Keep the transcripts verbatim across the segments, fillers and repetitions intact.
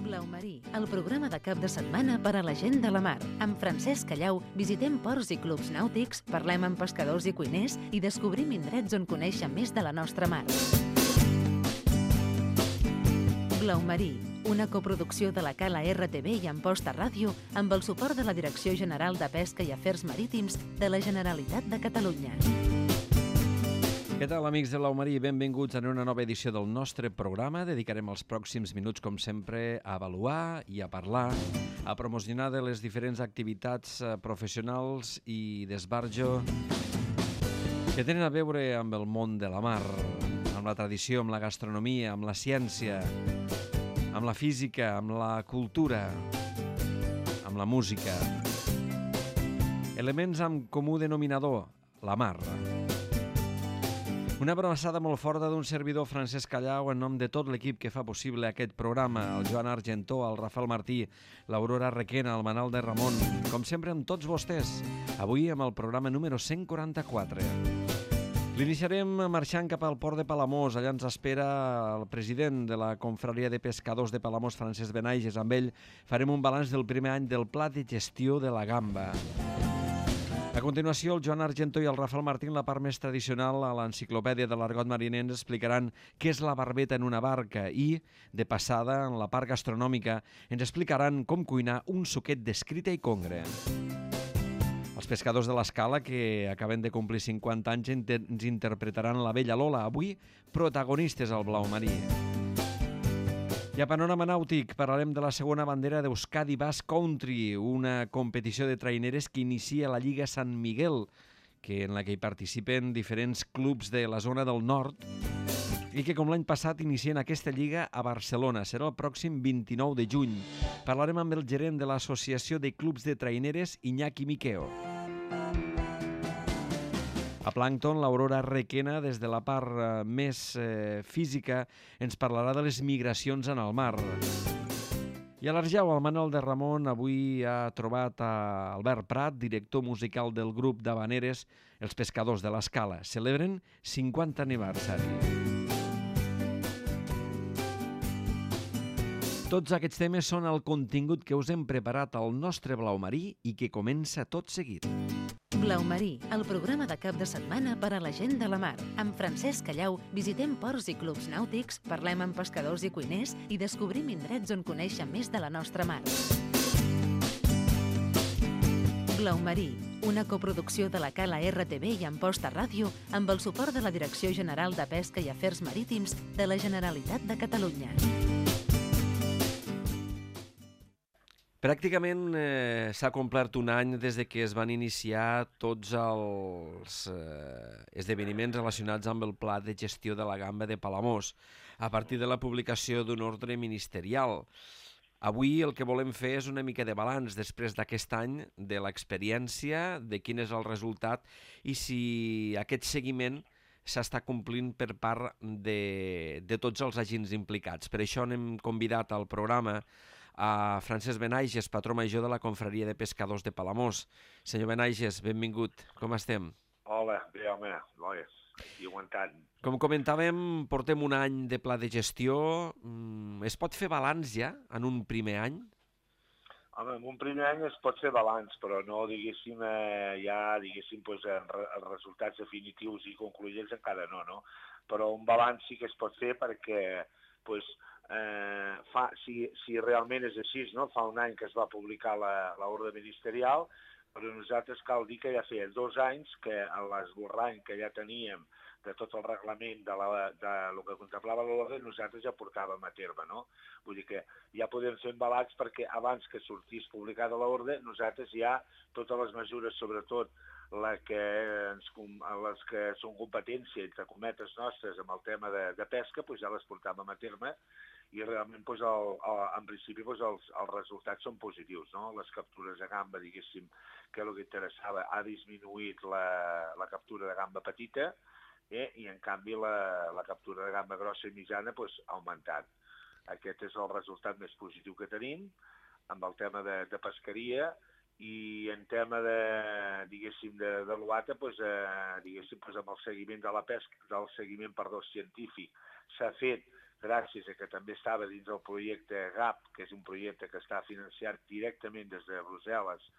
Blau Marí, el programa de cap de setmana per a la gent de la mar. Amb Francesc Callau visitem ports i clubs nàutics, parlem amb pescadors i cuiners i descobrim indrets on conèixer més de la nostra mar. Blau Marí, una coproducció de la Cala R T V i Amposta Ràdio amb el suport de la Direcció General de Pesca i Afers Marítims de la Generalitat de Catalunya. Què tal, amics de Blau Marí? Benvinguts a una nova edició del nostre programa. Dedicarem els pròxims minuts, com sempre, a avaluar i a parlar, a promocionar de les diferents activitats professionals i d'esbarjo que tenen a veure amb el món de la mar, amb la tradició, amb la gastronomia, amb la ciència, amb la física, amb la cultura, amb la música. Elements amb comú denominador, la mar. Una abraçada molt forta d'un servidor, Francesc Callau, en nom de tot l'equip que fa possible aquest programa, el Joan Argentó, el Rafael Martí, l'Aurora Requena, el Manal de Ramon, com sempre amb tots vostès, avui amb el programa número cent quaranta-quatre. L'iniciarem marxant cap al port de Palamós. Allà ens espera el president de la Confraria de Pescadors de Palamós, Francesc Benaiges. Amb ell farem un balanç del primer any del Pla de Gestió de la Gamba. A continuació, el Joan Argentó i el Rafael Martín, la part més tradicional a l'enciclopèdia de l'argot mariner, ens explicaran què és la barbeta en una barca i, de passada, en la part gastronòmica, ens explicaran com cuinar un suquet d'escrita i congre. Els pescadors de l'Escala, que acaben de complir cinquanta anys, ens interpretaran la Bella Lola, avui protagonistes al Blau Marí. I a Panorama Nàutic parlarem de la segona bandera d'Euskadi Bass Country, una competició de traineres que inicia la Lliga Sant Miguel, que en la que hi participen diferents clubs de la zona del nord i que, com l'any passat, inicien aquesta lliga a Barcelona. Serà el pròxim vint-i-nou de juny. Parlarem amb el gerent de l'Associació de Clubs de Traineres, Iñaki Miqueo. A Plàncton, l'Aurora Requena, des de la part eh, més eh, física, ens parlarà de les migracions en el mar. I a l'Arjau, el Manal de Ramon avui ha trobat a Albert Prat, director musical del grup d'Havaneres, els Pescadors de l'Escala. Celebren cinquanta aniversari. Tots aquests temes són el contingut que us hem preparat al nostre Blau Marí i que comença tot seguit. Blau Marí, el programa de cap de setmana per a la gent de la mar. Amb Francesc Callau visitem ports i clubs nàutics, parlem amb pescadors i cuiners i descobrim indrets on conèixer més de la nostra mar. Blau Marí, una coproducció de la Cala R T V i Amposta Ràdio amb el suport de la Direcció General de Pesca i Afers Marítims de la Generalitat de Catalunya. Pràcticament eh, s'ha complert un any des de que es van iniciar tots els eh, esdeveniments relacionats amb el Pla de Gestió de la Gamba de Palamós, a partir de la publicació d'un ordre ministerial. Avui el que volem fer és una mica de balanç després d'aquest any, de l'experiència, de quin és el resultat i si aquest seguiment s'està complint per part de, de tots els agents implicats. Per això n'hem convidat al programa a Francesc Benaiges, patró major de la Confraria de Pescadors de Palamós. Senyor Benaiges, benvingut. Com estem? Hola, bé, home, noies, aquí aguantant. Com comentàvem, portem un any de pla de gestió. Es pot fer balanç ja en un primer any? Home, en un primer any es pot fer balanç, però no, diguéssim, eh, ja, diguéssim, pues, en re, els resultats definitius i concluïents encara no, no? Però un balanç sí que es pot fer perquè, pues, eh, fa, si, si realment és així, no? Fa un any que es va publicar l'ordre ministerial, però nosaltres cal dir que ja feia dos anys que l'esborrany que ja teníem de tot el reglament de, la, de lo que contemplava l'ordre, nosaltres ja portàvem a terme, no? Vull dir que ja podem fer un balanç perquè abans que sortís publicada l'ordre, nosaltres ja totes les mesures, sobretot la que ens, les que són competència, entre cometes nostres, amb el tema de, de pesca, doncs ja les portàvem a terme i realment, doncs, el, el, en principi, doncs, els, els resultats són positius, no? Les captures de gamba, diguéssim, que el que interessava, ha disminuït la, la captura de gamba petita, eh? I en canvi la, la captura de gamba grossa i mitjana doncs, ha augmentat. Aquest és el resultat més positiu que tenim amb el tema de, de pesqueria. I en tema de, diguéssim, de, de l'O A T A, doncs, eh, diguéssim, doncs, amb el seguiment de la pesca, del seguiment, perdó, científic, s'ha fet gràcies a que també estava dins del projecte G A P, que és un projecte que està financiat directament des de Brussel·les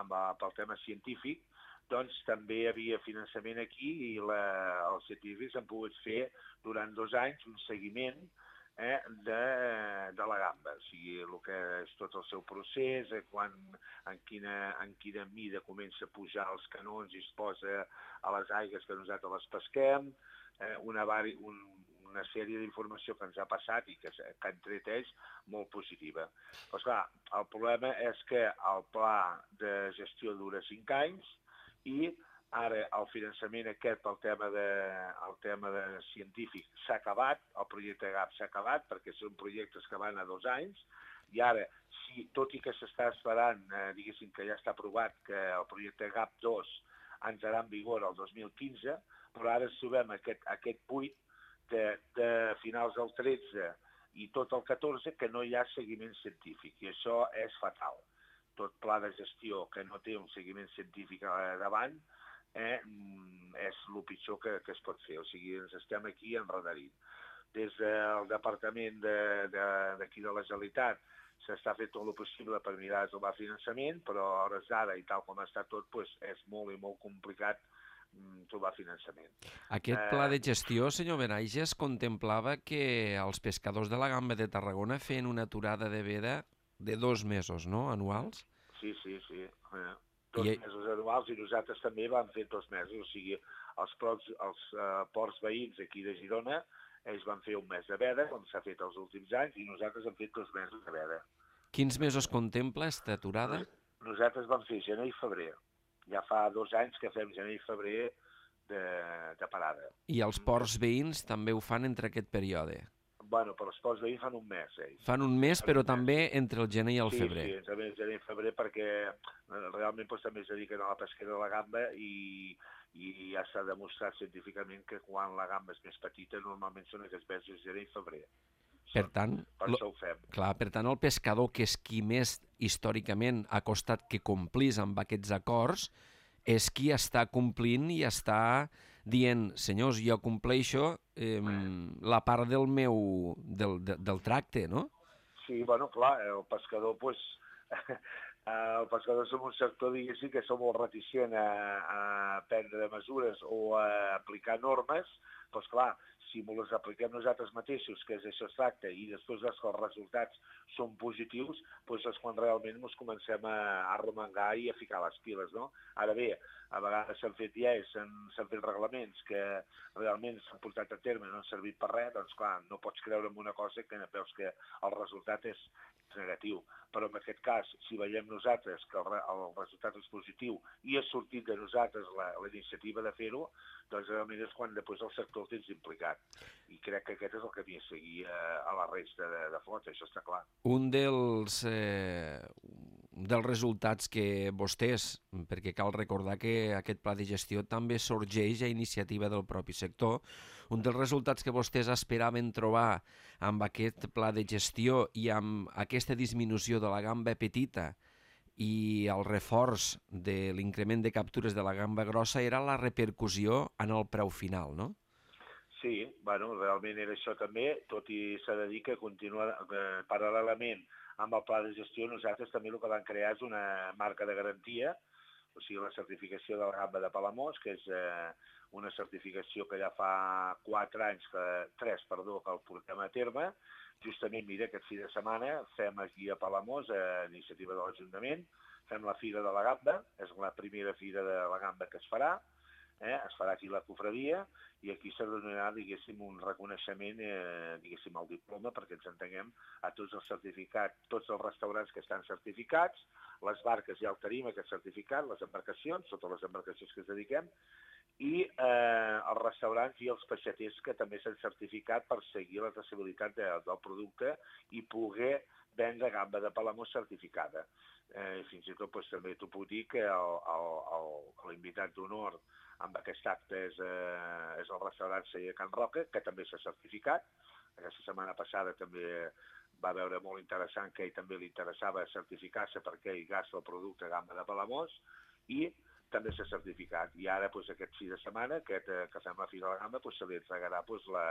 amb, pel tema científic, doncs també hi havia finançament aquí i la, els científics han pogut fer durant dos anys un seguiment eh, de, de la gamba, o sigui, el que és tot el seu procés, eh, quan, en, quina, en quina mida comença a pujar els canons i es posa a les aigues que nosaltres les pesquem, eh, una, vari, un, una sèrie d'informació que ens ha passat i que, que han tret ells molt positiva. Però, esclar, el problema és que el pla de gestió dura cinc anys i ara el finançament aquest pel tema, de, el tema de científic s'ha acabat, el projecte G A P s'ha acabat perquè són projectes que van a dos anys i ara, si, tot i que s'està esperant, eh, diguéssim que ja està aprovat que el projecte G A P dos entrarà en vigor el dos mil quinze, però ara ens trobem aquest, aquest buit de, de finals del tretze i tot el catorze que no hi ha seguiment científic i això és fatal. Tot pla de gestió que no té un seguiment científic davant eh, és el pitjor que, que es pot fer. O sigui, ens estem aquí enredarint. Des del departament d'aquí de, de, de la Generalitat s'està fent tot el possible per mirar de trobar finançament, però a hores d'ara i tal com està tot, pues, és molt i molt complicat trobar finançament. Aquest pla de gestió, senyor Benaiges, contemplava que els pescadors de la Gamba de Tarragona feien una aturada de veda de dos mesos, no?, anuals? Sí, sí, sí. Eh, dos I... mesos anuals i nosaltres també vam fer dos mesos. O sigui, els, procs, els uh, ports veïns aquí de Girona, ells van fer un mes de veda, com s'ha fet els últims anys, i nosaltres hem fet dos mesos de veda. Quins mesos contempla aquesta aturada? Nosaltres vam fer gener i febrer. Ja fa dos anys que fem gener i febrer de, de parada. I els ports veïns també ho fan entre aquest període? Bueno, però els ports veïns fan un mes, ells. Fan un mes, però també entre el gener i el sí, febrer. Sí, entre el gener i el febrer, perquè realment doncs, també es dediquen a la pesquera de la gamba i, i ja s'ha demostrat científicament que quan la gamba és més petita normalment són aquests mesos gener i febrer. Per tant, per això ho fem. Clar, per tant, el pescador, que és qui més històricament ha costat que complís amb aquests acords, és qui està complint i està dient, senyors, jo compleixo eh, la part del meu, del, de, del tracte, no? Sí, bueno, clar, el pescador, pues, el pescador som un sector, diguéssim, que som molt reticent a, a prendre mesures o a aplicar normes, doncs clar, si les apliquem nosaltres mateixos, que és això es tracta, i després els resultats són positius, doncs és quan realment ens comencem a, a romangar i a ficar les piles, no? Ara bé, a vegades s'han fet lleis, s'han fet reglaments que realment s'han portat a terme i no han servit per res, doncs clar, no pots creure en una cosa que veus que el resultat és negatiu. Però en aquest cas, si veiem nosaltres que el, el resultat és positiu i ha sortit de nosaltres la, la iniciativa de fer-ho, doncs realment és quan després el sector el tens implicat. I crec que aquest és el camí a seguir a, a la resta de, de flota, això està clar. Un dels, eh, dels resultats que vostès, perquè cal recordar que aquest pla de gestió també sorgeix a iniciativa del propi sector, un dels resultats que vostès esperaven trobar amb aquest pla de gestió i amb aquesta disminució de la gamba petita i el reforç de l'increment de captures de la gamba grossa era la repercussió en el preu final, no? Sí, bueno, realment era això també, tot i s'ha de dir que continua eh, paral·lelament amb el pla de gestió, nosaltres també el que vam crear és una marca de garantia, o sigui, la certificació de la gamba de Palamós, que és eh, una certificació que ja fa quatre anys, que, tres, perdó, que el portem a terme. Justament, mira, aquest fi de setmana fem aquí a Palamós, a iniciativa de l'Ajuntament, fem la Fira de la Gamba, és la primera Fira de la Gamba que es farà, eh? es farà aquí la cofradia, i aquí s'ha de donar, diguéssim, un reconeixement, eh, diguéssim, el diploma, perquè ens entenguem a tots els certificats, tots els restaurants que estan certificats, les barques ja el tenim, aquest certificat, les embarcacions, totes les embarcacions que es dediquem, i eh, els restaurants i els peixaters que també s'han certificat per seguir la traçabilitat de, del producte i poder vendre gamba de Palamós certificada. Eh, fins i tot doncs, també t'ho puc dir que l'invitat d'honor amb aquest acte és, eh, és el restaurant Celler Can Roca, que també s'ha certificat. Aquesta setmana passada també va veure molt interessant que ell també li interessava certificar-se perquè ell gasta el producte gamba de Palamós i també s'ha certificat. I ara, doncs, aquest fi de setmana, aquest, eh, que fem la Fira de la Gamba, doncs, se li entregarà doncs, la,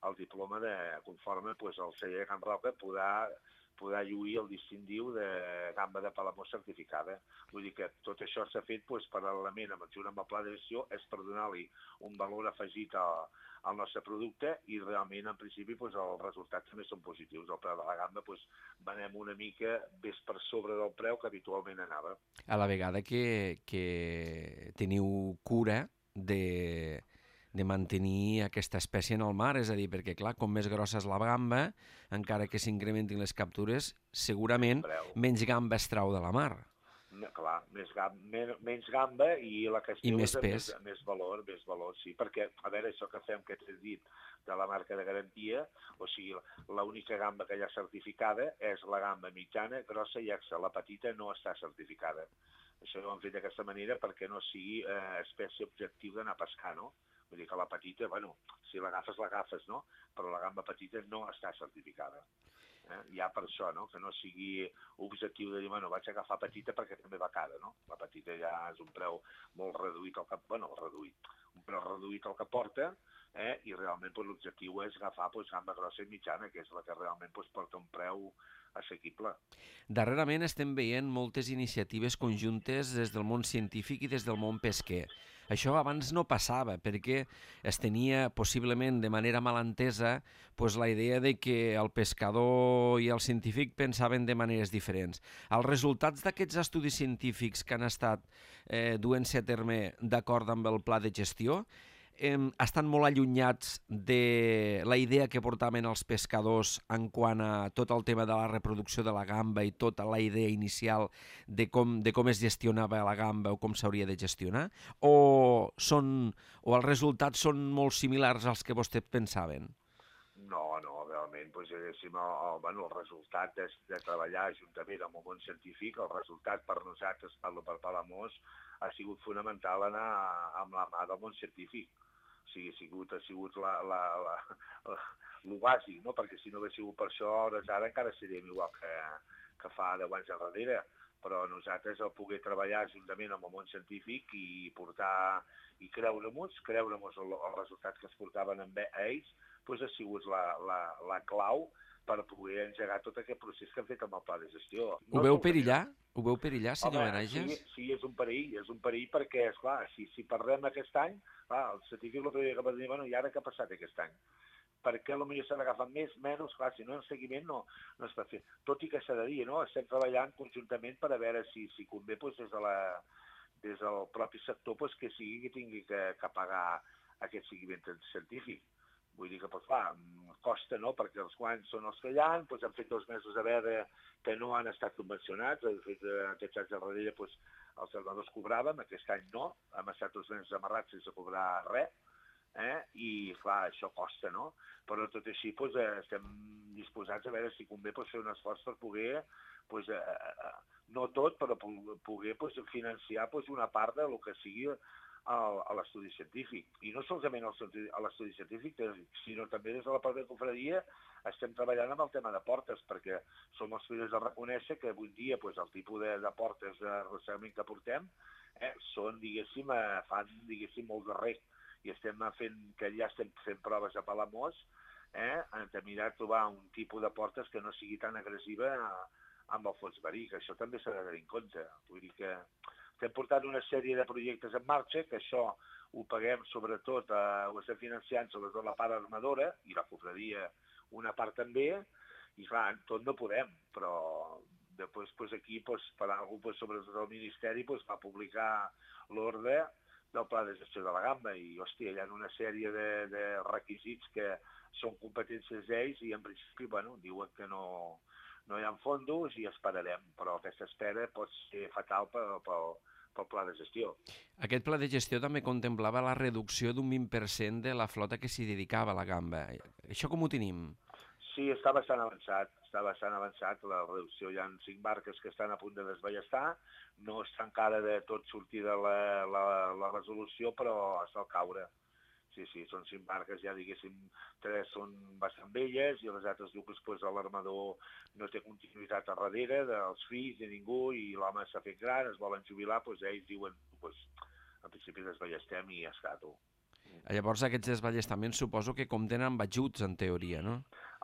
el diploma de, conforme pues, el celler de Can Roca podrà, podrà lluir el distintiu de gamba de Palamós certificada. Vull dir que tot això s'ha fet pues, paral·lelament amb, amb el pla de gestió, és per donar-li un valor afegit al, al nostre producte i realment, en principi, pues, els resultats també són positius. El preu de la gamba pues, venem una mica més per sobre del preu que habitualment anava. A la vegada que, que teniu cura de, de mantenir aquesta espècie en el mar, és a dir, perquè clar, com més grossa és la gamba, encara que s'incrementin les captures, segurament menys gamba es trau de la mar. No, clar, més gamba, men, menys gamba i la que es I més pes. Més, més valor, més valor, sí, perquè, a veure, això que fem, que t'he dit, de la marca de garantia, o sigui, l'única gamba que hi ha certificada és la gamba mitjana, grossa i exa, la petita no està certificada. Això ho hem fet d'aquesta manera perquè no sigui eh, espècie objectiu d'anar a pescar, no? Vull dir que la petita, bueno, si l'agafes, l'agafes, no? Però la gamba petita no està certificada. Eh? Ja per això, no? Que no sigui objectiu de dir, bueno, vaig agafar petita perquè també va cara, no? La petita ja és un preu molt reduït al que, bueno, reduït, un preu reduït al que porta, eh? I realment pues, l'objectiu és agafar pues, gamba grossa i mitjana, que és la que realment pues, porta un preu assequible. Darrerament estem veient moltes iniciatives conjuntes des del món científic i des del món pesquer. Això abans no passava, perquè es tenia possiblement de manera malentesa pues, la idea de que el pescador i el científic pensaven de maneres diferents. Els resultats d'aquests estudis científics que han estat eh, duent-se a terme d'acord amb el pla de gestió eh, estan molt allunyats de la idea que portaven els pescadors en quant a tot el tema de la reproducció de la gamba i tota la idea inicial de com, de com es gestionava la gamba o com s'hauria de gestionar, o, són, o els resultats són molt similars als que vostès pensaven? No, no, realment, doncs, diguéssim, el, el, bueno, el resultat de, de treballar juntament amb el món científic, el resultat per nosaltres, parlo per Palamós, ha sigut fonamental anar amb la mà del món científic. O sigui, ha sigut, ha sigut la, la, la, la, lo bàsic, no? Perquè si no hagués sigut per això, hores ara encara seríem igual que, que fa deu anys enrere. Però nosaltres el poder treballar juntament amb el món científic i portar i creure-nos, creure-nos els resultats que es portaven amb ells, doncs ha sigut la, la, la clau per poder engegar tot aquest procés que hem fet amb el pla de gestió. Ho veu perillar? Ho veu perillar, senyor Benages? Sí, sí, és un perill, és un perill perquè, esclar, si, si parlem aquest any, clar, el científic l'altre dia que va dir, bueno, i ara què ha passat aquest any? Per què potser s'han agafat més, menys, clar, si no en seguiment no, no es pot fer. Tot i que s'ha de dir, no? Estem treballant conjuntament per a veure si, si convé doncs, des, de la, des del propi sector doncs, que sigui que tingui que, que pagar aquest seguiment científic. Vull dir que, doncs, clar, costa, no?, perquè els guanys són els que hi ha, doncs han fet dos mesos a veure que no han estat subvencionats, de fet, aquests anys darrere doncs, els armadors cobràvem, aquest any no, hem estat dos mesos amarrats sense cobrar res, eh? I, clar, això costa, no? Però tot així doncs, estem disposats a veure si convé doncs, fer un esforç per poder, doncs, eh, no tot, però poder doncs, financiar doncs, una part del que sigui a l'estudi científic. I no solament a l'estudi científic, sinó també des de la pròpia confraria estem treballant amb el tema de portes, perquè som els primers a reconèixer que avui dia doncs, el tipus de, de portes de arrossegament que portem eh, són, diguéssim, eh, fan diguéssim, molt de rec. I estem fent, que ja estem fent proves a Palamós, eh, de mirar de trobar un tipus de portes que no sigui tan agressiva amb el fons marí, que això també s'ha de tenir en compte. Vull dir que estem portant una sèrie de projectes en marxa, que això ho paguem sobretot, eh, ho estem financiant sobretot la part armadora, i la confraria una part també, i clar, tot no podem, però després pues, aquí pues, per algú, pues, sobretot el Ministeri pues, va publicar l'ordre del pla de gestió de la gamba, i hòstia, hi ha una sèrie de, de requisits que són competències d'ells, i en principi, bueno, diuen que no... no hi ha fondos i esperarem, però aquesta espera pot ser fatal pel, pel, pel pla de gestió. Aquest pla de gestió també contemplava la reducció d'un vint per cent de la flota que s'hi dedicava a la gamba. Això com ho tenim? Sí, està bastant avançat, està bastant avançat. La reducció, hi ha cinc barques que estan a punt de desballestar, no està encara de tot sortir de la, la, la resolució, però està al caure. Sí, sí, són cinc barques, ja diguéssim, tres són bastant velles i les altres dues, doncs, l'armador no té continuïtat a darrere dels fills de ningú i l'home s'ha fet gran, es volen jubilar, doncs ells diuen, doncs, en principi desballestem i ja està, tu. Llavors aquests desballestaments suposo que compten amb ajuts, en teoria, no?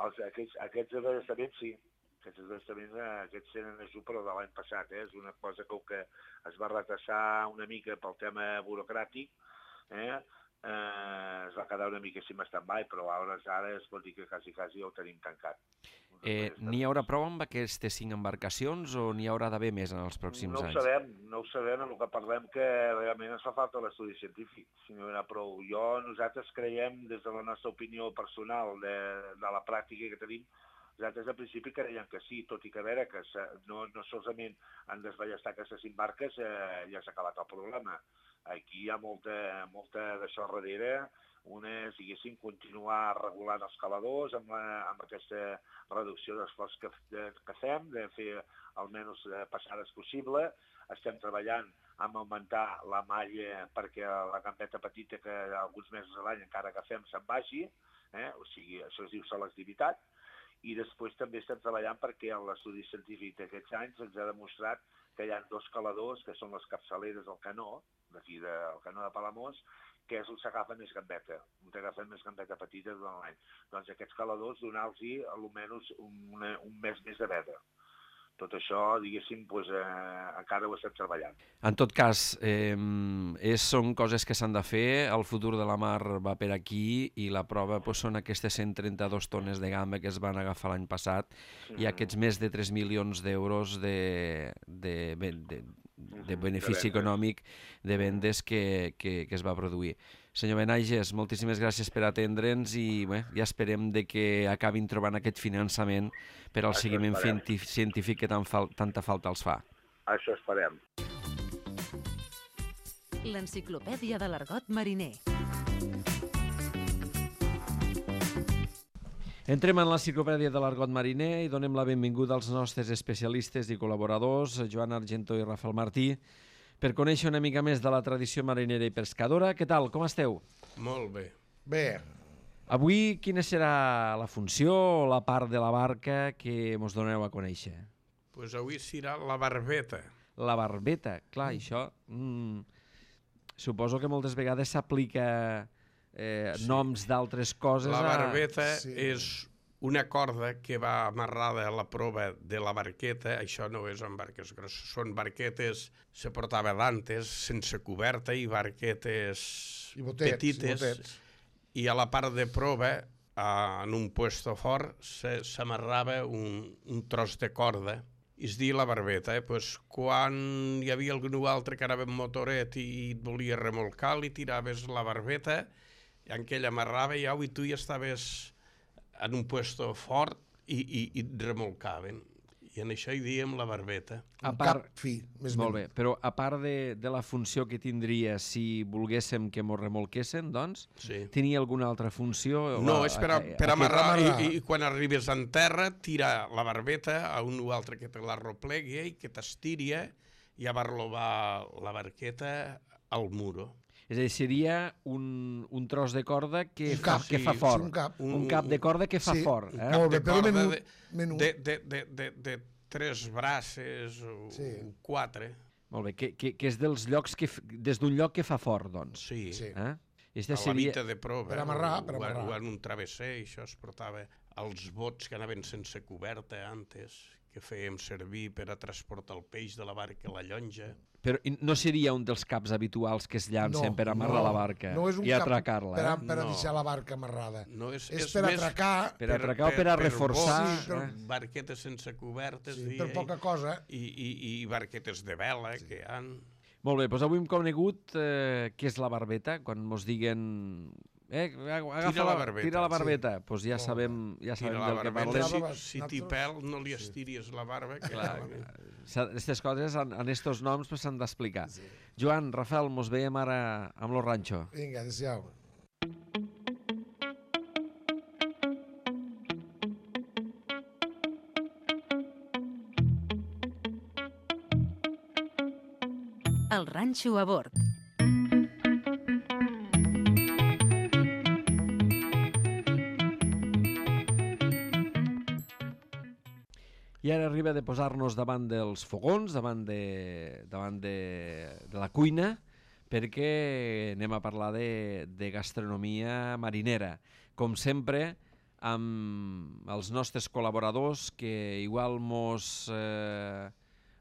Els, aquests, aquests desballestaments sí. Aquests desballestaments aquests tenen ajut, però de l'any passat. Eh? És una cosa que, que es va retrasar una mica pel tema burocràtic, eh? Eh, es va quedar una mica en stand-by, però ara, ara es pot dir que quasi, quasi ja ho tenim tancat. Eh, N'hi haurà prou amb aquestes cinc embarcacions o n'hi haurà d'haver més en els pròxims no ho anys? Sabem, no ho sabem, en el que parlem que realment ens fa falta l'estudi científic, si no hi haurà prou. Jo, nosaltres creiem, des de la nostra opinió personal, de, de la pràctica que tenim, nosaltres al principi creiem que sí, tot i que a veure que no, no solament han desballestat aquestes cinc barques, eh, ja s'ha acabat el problema. Aquí hi ha molta, molta d'això darrere. Una és, diguéssim, continuar regulant els caladors amb, la, amb aquesta reducció d'esforç que, de, que fem, de fer almenys passades possible. Estem treballant amb augmentar la malla perquè la gambeta petita que alguns mesos a l'any encara agafem se'n vagi, eh? O sigui, això es diu selectivitat. I després també estem treballant perquè l'estudi científic d'aquests anys ens ha demostrat que hi ha dos caladors, que són les capçaleres del canó, d'aquí del canó de Palamós, que és on s'agafa més gambeta, on t'agafen més gambeta petita durant l'any. Doncs aquests caladors donar-los almenys un, un mes més de veda. Tot això, diguéssim, doncs, eh, encara ho estem treballant. En tot cas, eh, és, són coses que s'han de fer, el futur de la mar va per aquí i la prova doncs, són aquestes cent trenta-dos tones de gamba que es van agafar l'any passat mm. i aquests més de tres milions d'euros de, de, de, de, de benefici de econòmic de vendes que, que, que es va produir. Senyor Benaiges, moltíssimes gràcies per atendre'ns i bé, ja esperem de que acabin trobant aquest finançament per al Això seguiment esperem. científic que tan fal tanta falta els fa. Això esperem. L'enciclopèdia de l'argot mariner. Entrem en l'enciclopèdia de l'argot mariner i donem la benvinguda als nostres especialistes i col·laboradors, Joan Argentó i Rafael Martí, per conèixer una mica més de la tradició marinera i pescadora. Què tal? Com esteu? Molt bé. Bé. Avui, quina serà la funció o la part de la barca que mos doneu a conèixer? Doncs pues avui serà la barbeta. La barbeta, clar, mm. això... Mm, suposo que moltes vegades s'aplica eh, sí. noms d'altres coses. La barbeta a... sí. és una corda que va amarrada a la prova de la barqueta. Això no és en barques grosses, són barquetes, se portava d'antes, sense coberta, i barquetes I botets, petites. I, botets. I a la part de prova, en un puesto fort, s'amarrava un, un tros de corda. És dir, la barbeta. Eh? Pues, quan hi havia algú altre que anava amb motoret i et volia remolcar, li tiraves la barbeta, i en què ell amarrava ja, i tu ja estaves en un puesto fort i, i, i et remolcaven. I en això hi diem la barbeta. A part, cap fi, més molt bé, però a part de, de la funció que tindria si volguéssim que mos remolquessin, doncs, sí. tenia alguna altra funció? No, és per, a, per a amarrar, amarrar. I, i quan arribes en terra, tira la barbeta a un o altre que te la replegui i que t'estiri i a barlobar la barqueta al muro. És a dir, seria un, un tros de corda que, un fa, cap, que sí, fa fort. Sí, un, cap. Un, un cap de corda que fa sí, fort. Eh? Molt bé, però menú, de, menú. De, de, de, de, de tres braces o sí. quatre. Molt bé, que, que, que és dels llocs que, des d'un lloc que fa fort, doncs. Sí. sí. Eh? A la seria... mita de prova. Per amarrar, per amarrar. O, o en un travesser, això es portava als bots que anaven sense coberta antes, que fèiem servir per a transportar el peix de la barca a la llonja. Però no seria un dels caps habituals que es llancen no, per amarrar no, la barca no és un i atracar-la? Per, a, eh? per a no. deixar la barca amarrada. No, és, és, és per més atracar... Per atracar o per a reforçar... Per, sí, per, eh? Barquetes sense cobertes. Sí, i, per poca cosa. I, i, i barquetes de vela sí. que han... Molt bé, doncs avui hem conegut eh, què és la barbeta, quan mos diguen... Eh, agafa tira la barbeta. Tira la barbeta. Doncs sí. pues ja sabem, ja sabem del que parlem. Si, si t'hi pèl, no li estiris la barba. Que aquestes coses, en, en estos noms, s'han pues, d'explicar. Sí. Joan, Rafael, mos veiem ara amb lo ranxo. Vinga, adéu-siau. El ranxo a bord. I ara arriba de posar-nos davant dels fogons, davant de, davant de, de la cuina, perquè anem a parlar de, de gastronomia marinera. Com sempre, amb els nostres col·laboradors que igual mos eh,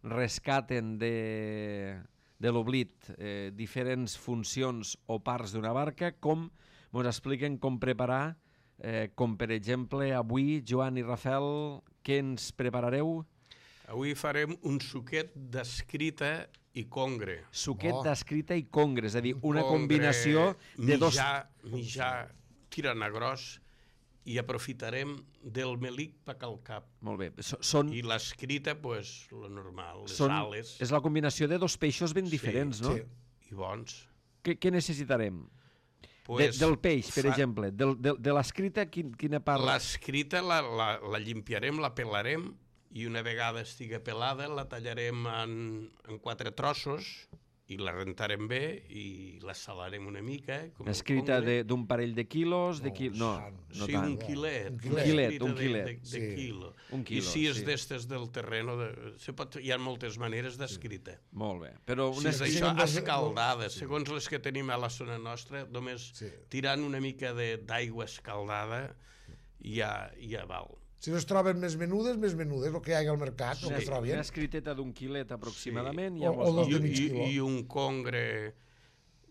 rescaten de, de l'oblit eh, diferents funcions o parts d'una barca, com mos expliquen com preparar, eh, com per exemple avui, Joan i Rafael, què ens preparareu? Avui farem un suquet d'escrita i congre. Suquet Oh. d'escrita i congre, és a dir, una Congre, combinació de dos... Mitjà, mitjà, tirant a gros, i aprofitarem del melic pa calcap. Molt bé. So- Són, I l'escrita, pues, lo normal, les són, ales. és la combinació de dos peixos ben Sí, diferents, no? sí. I bons. Què, què necessitarem? Pues, de, del peix, per fa- exemple. Del, de, de l'escrita, quin, quina part? L'escrita la, la, la llimpiarem, la pelarem, i una vegada estigui pelada la tallarem en, en quatre trossos i la rentarem bé i la salarem una mica. Com el Escrita congre. de- d'un parell de quilos? De No, qui... No, sant. no Sí, tant. un quilet. Un una quilet, escrita un de- quilet. De, de, Sí. quilo. Un quilo, I si és sí. d'estes del terreno, de, se pot, hi ha moltes maneres d'escrita. Molt bé. Però Si una és sí, això, sí, sí. escaldada, segons les que tenim a la zona nostra, només Sí. tirant una mica de- d'aigua escaldada ja, ja val. Si no es troben més menudes, més menudes, el que hi ha al mercat, el una, que trobin. una escriteta d'un quilet aproximadament. Sí. Ja O- mos o dos val. de I, mig i, quiló. I un congre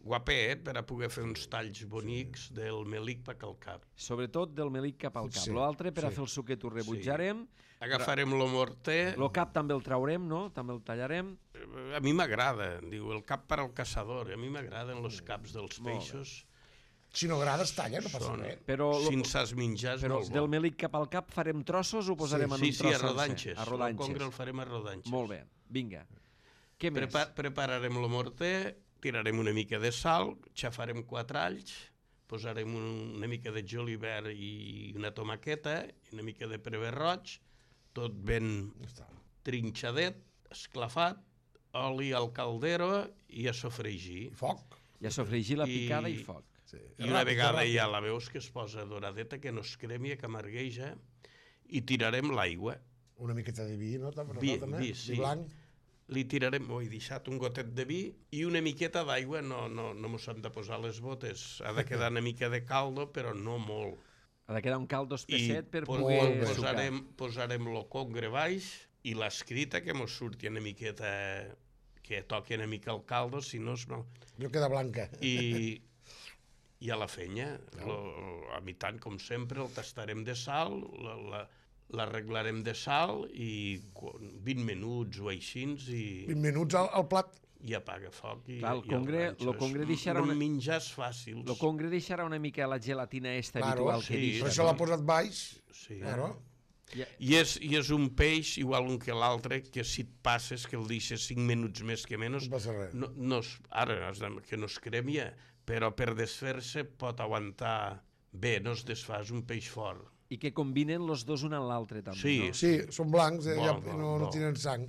guapet per a poder fer uns talls bonics del melic pa calcap. Sobretot del melic cap al cap. Sí, L'altre, per a sí. fer el suquet, ho rebutjarem. Agafarem lo morter. El cap també el traurem, no? També el tallarem. A mi m'agrada, diu, el cap per al caçador. A mi m'agraden els caps dels Molt bé. peixos. Si no agrada, es talla, no passa Són, res. Però, si en saps menjar, és però molt del bo. melic cap al cap farem trossos o posarem en Sí, un sí, tros a sencer? rodanxes. A El rodanxes. congre el farem a rodanxes. Molt bé, vinga. Què més? Prepa prepararem el morter, tirarem una mica de sal, xafarem quatre alls, posarem un, una mica de julivert i una tomaqueta, i una mica de prever roig, tot ben Ja està. trinxadet, esclafat, oli al caldero i a sofregir. I foc. Ja sofregir la I- picada i foc. Sí. I una Ràpid, vegada ràpid. ja la veus que es posa doradeta, que no es cremi, que amargueja, i tirarem l'aigua. Una miqueta de vi, no? També, Vi, també? vi, sí. Vi blanc. Li tirarem, oh, he deixat un gotet de vi i una miqueta d'aigua, no, no, no mos hem de posar les botes, ha de quedar una mica de caldo, però no molt. Ha de quedar un caldo I espesset per po- poder bé. sucar. posarem, posarem lo congre baix i l'escrita que mos surti una miqueta, que toqui una mica el caldo, si no és mal. No queda blanca. I, i a la fenya, lo, a mi tant com sempre, el tastarem de sal, la, la, l'arreglarem de sal i quan- vint minuts o així i, vint minuts al, al plat. i apaga foc. I, Clar, el i congre- ranxo. lo congre És- deixarà no una- menjars fàcils. El congre deixarà una mica la gelatina esta Claro, habitual que sí, deixa. Per això l'ha posat baix. Sí. Claro. Ja, I és, I és un peix igual un que l'altre, que si et passes, que el deixes cinc minuts més que menys, No passa res. no, no es, ara has de, que no es cremia, però per desfer-se pot aguantar bé, no es desfà, és un peix fort. I que combinen els dos un amb l'altre, també, Sí, no? Sí, són blancs, eh, Bo, ja, bo, no, no bo. tenen sang.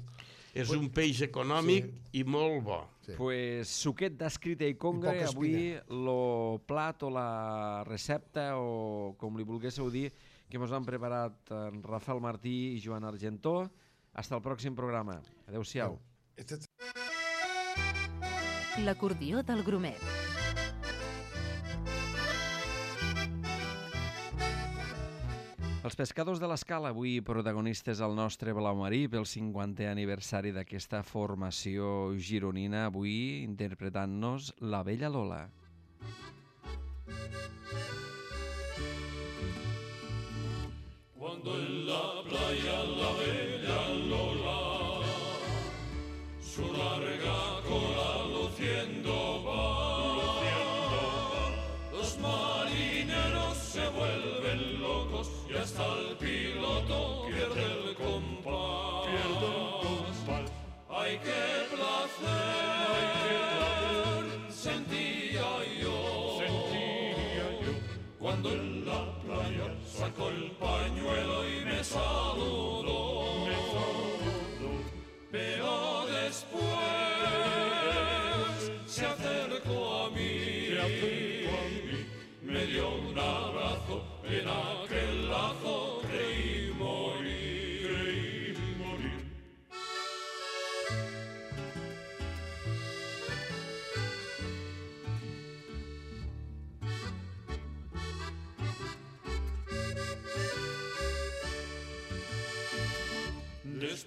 És un peix econòmic Sí. i molt bo. Sí. Pues suquet d'escrita i congre, I poca avui lo plat o la recepta o com li volguésseu dir que ens han preparat en Rafael Martí i Joan Argentó. Hasta el pròxim programa. Adéu-siau. Este... L'acordió del Grumet. Els pescadors de l'Escala, avui protagonistes al nostre Blau Marí pel cinquantè aniversari d'aquesta formació gironina, avui interpretant-nos La Bella Lola. Cuando en la playa la bella Lola su larga cola luciendo va, los marineros se vuelven locos y hasta el piloto pierde el compás. Ay, qué placer sentía yo cuando en la playa sacó el pañuelo y me saludó.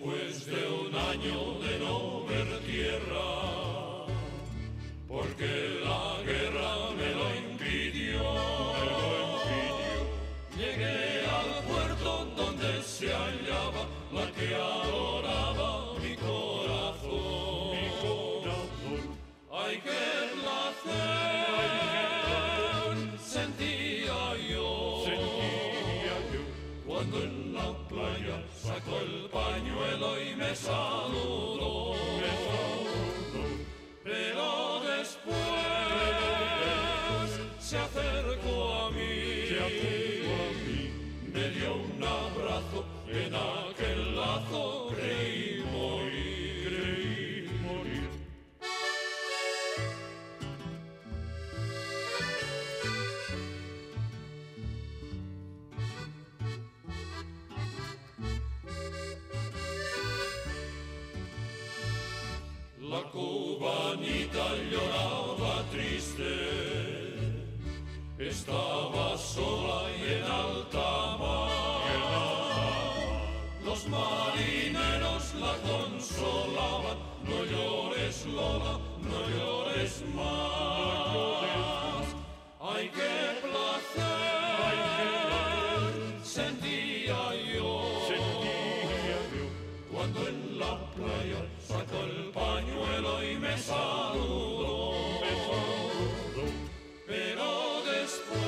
después de un año de no ver tierra, porque la guerra me lo impidió. Me lo impidió. Llegué al puerto donde se hallaba la que adoraba mi corazón. Mi corazón. Ay, qué placer sentía yo. Sentía yo cuando en la playa sacó el pañuelo y me saludó. Me saludó. Pero después se acercó a mí, se acercó a mí, me dio un abrazo, en aquel lazo creí morir, creí morir. La cubanita lloraba triste, estaba sola y en alta mar. Los marineros la consolaban, no llores Lola, no llores más. Ay, qué placer sentía yo, sentía yo cuando en la playa sacó el pañuelo y me saludó, me saludó. Pero después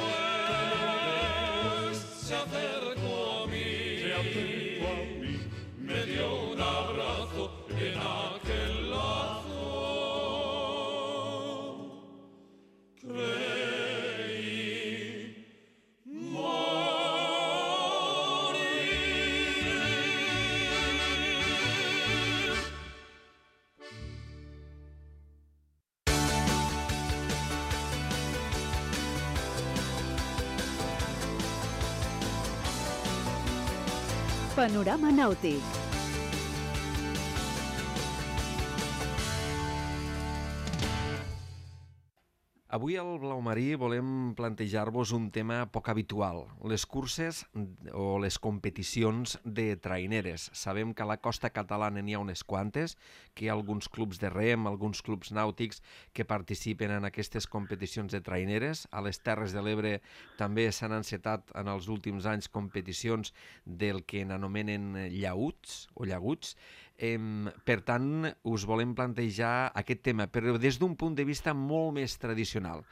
se acercó a mí, se acercó a mí, me dio un abrazo en aquel lazo. Creí morir. Panorama nàutic. Avui al Blau Marí volem plantejar-vos un tema poc habitual, les curses o les competicions de traineres. Sabem que a la costa catalana n'hi ha unes quantes, que hi ha alguns clubs de rem, alguns clubs nàutics que participen en aquestes competicions de traineres. A les Terres de l'Ebre també s'han encetat en els últims anys competicions del que n'anomenen llauts o llaguts. Eh, per tant, us volem plantejar aquest tema, però des d'un punt de vista molt més tradicional.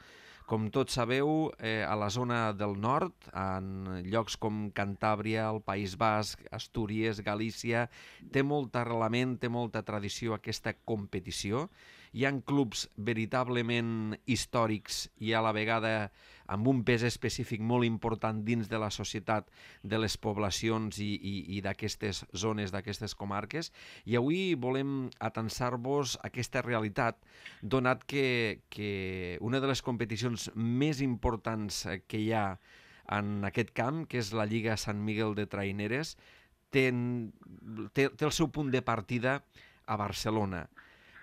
Com tots sabeu, eh, a la zona del nord, en llocs com Cantàbria, el País Basc, Astúries, Galícia, té molt arrelament, té molta tradició aquesta competició. Hi ha clubs veritablement històrics i a la vegada amb un pes específic molt important dins de la societat de les poblacions i, i, i d'aquestes zones, d'aquestes comarques. I avui volem atansar-vos aquesta realitat, donat que, que una de les competicions més importants que hi ha en aquest camp, que és la Lliga Sant Miguel de Traineres, té, té, té el seu punt de partida a Barcelona.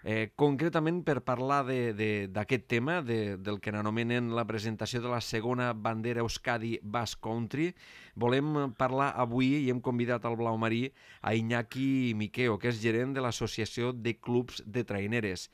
Eh, concretament, per parlar d'aquest tema, de, del que n'anomenen la presentació de la segona bandera Euskadi Basque Country, volem parlar avui, i hem convidat al Blau Marí, a Iñaki Miqueo, que és gerent de l'Associació de Clubs de Traineres.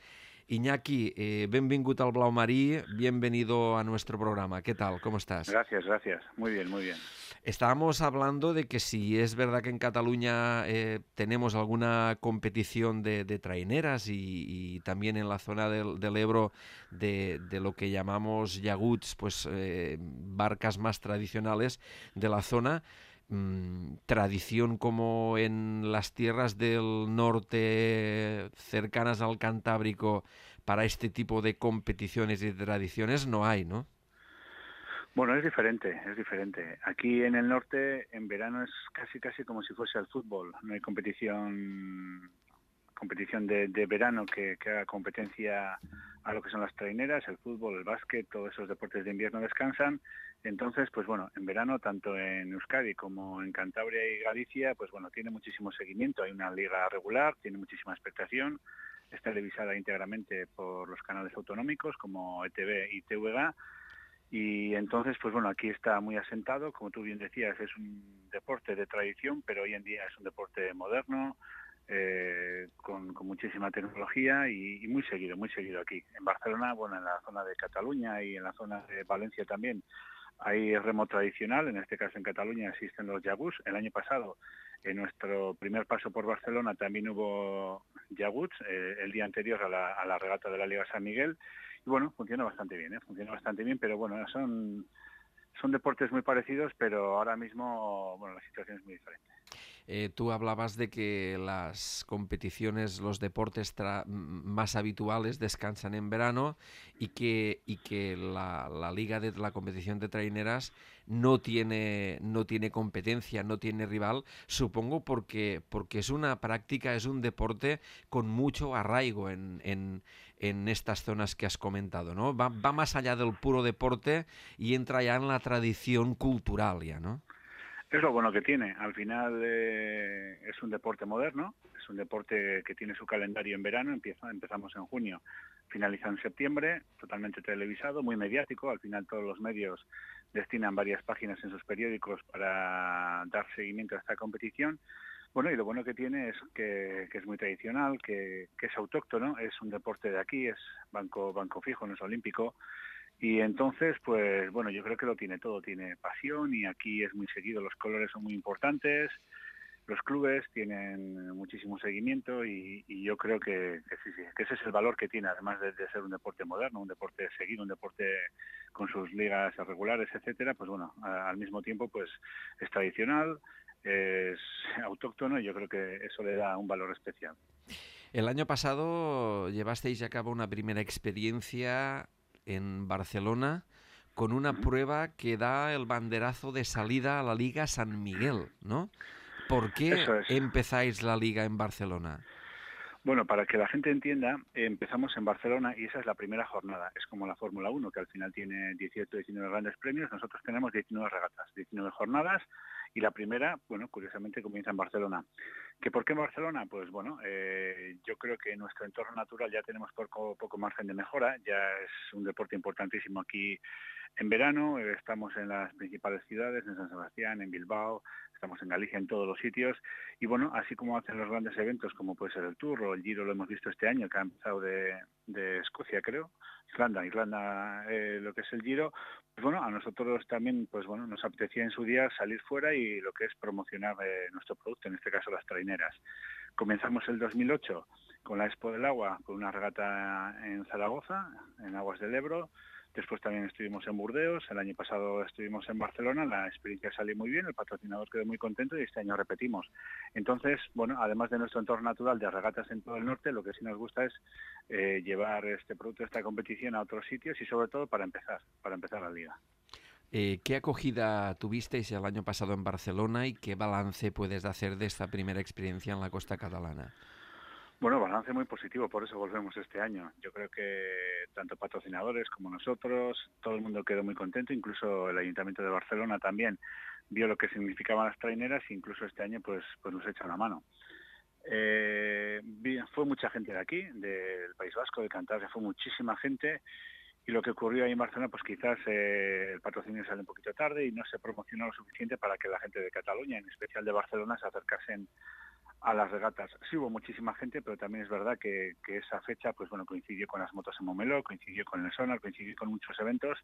Iñaki, eh, benvingut al Blau Marí, bienvenido a nuestro programa. ¿Qué tal? ¿Cómo estás? Gracias, gracias. Muy bien, muy bien. Estábamos hablando de que si es verdad que en Cataluña eh, tenemos alguna competición de, de traineras y, y también en la zona del, del Ebro de, de lo que llamamos llaguts, pues eh, barcas más tradicionales de la zona, mmm, tradición como en las tierras del norte cercanas al Cantábrico para este tipo de competiciones y de tradiciones no hay, ¿no? Bueno, es diferente, es diferente. Aquí en el norte, en verano es casi casi como si fuese el fútbol. No hay competición competición de, de verano que, que haga competencia a lo que son las traineras, el fútbol, el básquet, todos esos deportes de invierno descansan. Entonces, pues bueno, en verano, tanto en Euskadi como en Cantabria y Galicia, pues bueno, tiene muchísimo seguimiento. Hay una liga regular, tiene muchísima expectación, es televisada íntegramente por los canales autonómicos como E T V y T V G. Y entonces, pues bueno, aquí está muy asentado, como tú bien decías, es un deporte de tradición, pero hoy en día es un deporte moderno, muchísima tecnología y, y muy seguido, muy seguido aquí. En Barcelona, bueno, en la zona de Cataluña y en la zona de Valencia también hay remo tradicional, en este caso en Cataluña existen los llaguts. El año pasado, en nuestro primer paso por Barcelona, también hubo llaguts, eh, el día anterior a la, a la regata de la Liga San Miguel. Y bueno, funciona bastante bien, ¿eh? Funciona bastante bien, pero bueno, son, son deportes muy parecidos, pero ahora mismo, bueno, la situación es muy diferente. Eh, tú hablabas de que las competiciones, los deportes tra- más habituales descansan en verano y que, y que la, la liga de la competición de traineras no tiene, no tiene competencia, no tiene rival, supongo porque, porque es una práctica, es un deporte con mucho arraigo en, en, en estas zonas que has comentado, ¿no? Va, va más allá del puro deporte y entra ya en la tradición cultural ya, ¿no? Es lo bueno que tiene. Al final eh, es un deporte moderno, es un deporte que tiene su calendario en verano, empieza, empezamos en junio, finaliza en septiembre, totalmente televisado, muy mediático. Al final todos los medios destinan varias páginas en sus periódicos para dar seguimiento a esta competición. Bueno, y lo bueno que tiene es que, que es muy tradicional, que, que es autóctono, es un deporte de aquí, es banco, banco fijo, no es olímpico. Y entonces, pues bueno, yo creo que lo tiene todo, tiene pasión y aquí es muy seguido, los colores son muy importantes, los clubes tienen muchísimo seguimiento y, y yo creo que, que sí, sí, que ese es el valor que tiene, además de, de ser un deporte moderno, un deporte seguido, un deporte con sus ligas regulares, etcétera, pues bueno, a, al mismo tiempo pues es tradicional, es autóctono y yo creo que eso le da un valor especial. El año pasado llevasteis a cabo una primera experiencia en Barcelona con una uh-huh. prueba que da el banderazo de salida a la Liga San Miguel, ¿no? ¿Por qué Eso es. empezáis la Liga en Barcelona? Bueno, para que la gente entienda, empezamos en Barcelona y esa es la primera jornada. Es como la Fórmula uno, que al final tiene dieciocho, diecinueve grandes premios. Nosotros tenemos diecinueve regatas, diecinueve jornadas y la primera, bueno, curiosamente comienza en Barcelona. ¿Que por qué en Barcelona? Pues bueno, eh, yo creo que en nuestro entorno natural ya tenemos poco, poco margen de mejora. Ya es un deporte importantísimo aquí en verano. Eh, estamos en las principales ciudades, en San Sebastián, en Bilbao, estamos en Galicia, en todos los sitios. Y bueno, así como hacen los grandes eventos, como puede ser el Tour o el Giro, lo hemos visto este año, que ha empezado de, de Escocia, creo, Irlanda, Irlanda, eh, lo que es el Giro, pues bueno, a nosotros también, pues bueno, nos apetecía en su día salir fuera y lo que es promocionar eh, nuestro producto, en este caso las traineras. Comenzamos el dos mil ocho con la Expo del Agua, con una regata en Zaragoza, en Aguas del Ebro. Después también estuvimos en Burdeos, el año pasado estuvimos en Barcelona, la experiencia salió muy bien, el patrocinador quedó muy contento y este año repetimos. Entonces, bueno, además de nuestro entorno natural de regatas en todo el norte, lo que sí nos gusta es eh, llevar este producto, esta competición a otros sitios y sobre todo para empezar, para empezar la liga. Eh, ¿Qué acogida tuvisteis el año pasado en Barcelona y qué balance puedes hacer de esta primera experiencia en la costa catalana? Bueno, balance muy positivo, por eso volvemos este año. Yo creo que tanto patrocinadores como nosotros, todo el mundo quedó muy contento, incluso el Ayuntamiento de Barcelona también vio lo que significaban las traineras e incluso este año pues, pues nos echa una mano. Eh, fue mucha gente de aquí, del País Vasco, de Cantabria, fue muchísima gente y lo que ocurrió ahí en Barcelona, pues quizás eh, el patrocinio sale un poquito tarde y no se promocionó lo suficiente para que la gente de Cataluña, en especial de Barcelona, se acercasen a las regatas. Sí hubo muchísima gente, pero también es verdad que, que esa fecha pues bueno coincidió con las motos en Montmeló, coincidió con el Sonar, coincidió con muchos eventos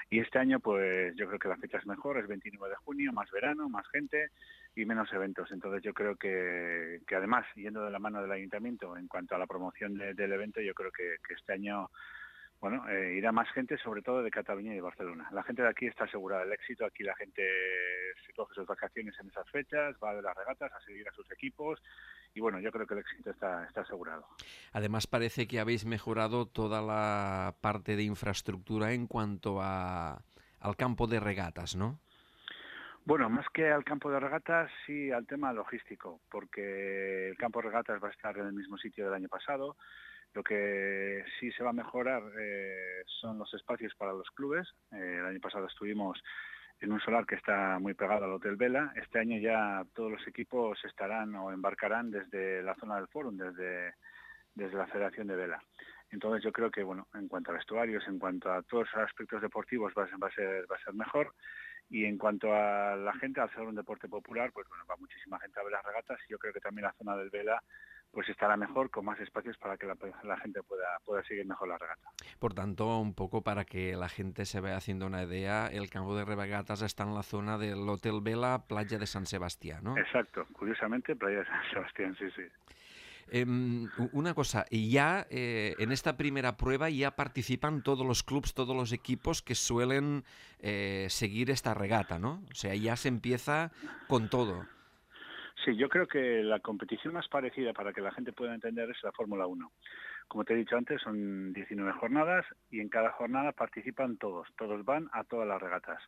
y este año pues yo creo que la fecha es mejor, es veintinueve de junio, más verano, más gente y menos eventos. Entonces yo creo que, que además, yendo de la mano del Ayuntamiento en cuanto a la promoción de, del evento, yo creo que, que este año bueno, eh, irá más gente, sobre todo de Cataluña y de Barcelona. La gente de aquí está asegurada del éxito, aquí la gente se coge sus vacaciones en esas fechas, va de las regatas a seguir a sus equipos y bueno, yo creo que el éxito está, está asegurado. Además parece que habéis mejorado toda la parte de infraestructura en cuanto a, al campo de regatas, ¿no? Bueno, más que al campo de regatas, sí al tema logístico, porque el campo de regatas va a estar en el mismo sitio del año pasado. Lo que sí se va a mejorar eh, son los espacios para los clubes. Eh, el año pasado estuvimos en un solar que está muy pegado al Hotel Vela. Este año ya todos los equipos estarán o embarcarán desde la zona del Fórum, desde, desde la Federación de Vela. Entonces yo creo que, bueno, en cuanto a vestuarios, en cuanto a todos los aspectos deportivos va a ser, va a ser, va a ser mejor. Y en cuanto a la gente, al ser un deporte popular, pues bueno, va muchísima gente a ver las regatas y yo creo que también la zona del Vela pues estará mejor, con más espacios para que la, la gente pueda, pueda seguir mejor la regata. Por tanto, un poco para que la gente se vaya haciendo una idea, el campo de regatas está en la zona del Hotel Vela, playa de San Sebastián, ¿no? Exacto, curiosamente, playa de San Sebastián, sí, sí. Eh, una cosa, ya eh, en esta primera prueba ya participan todos los clubes, todos los equipos que suelen eh, seguir esta regata, ¿no? O sea, ya se empieza con todo. Sí, yo creo que la competición más parecida para que la gente pueda entender es la Fórmula uno. Como te he dicho antes, son diecinueve jornadas y en cada jornada participan todos, todos van a todas las regatas.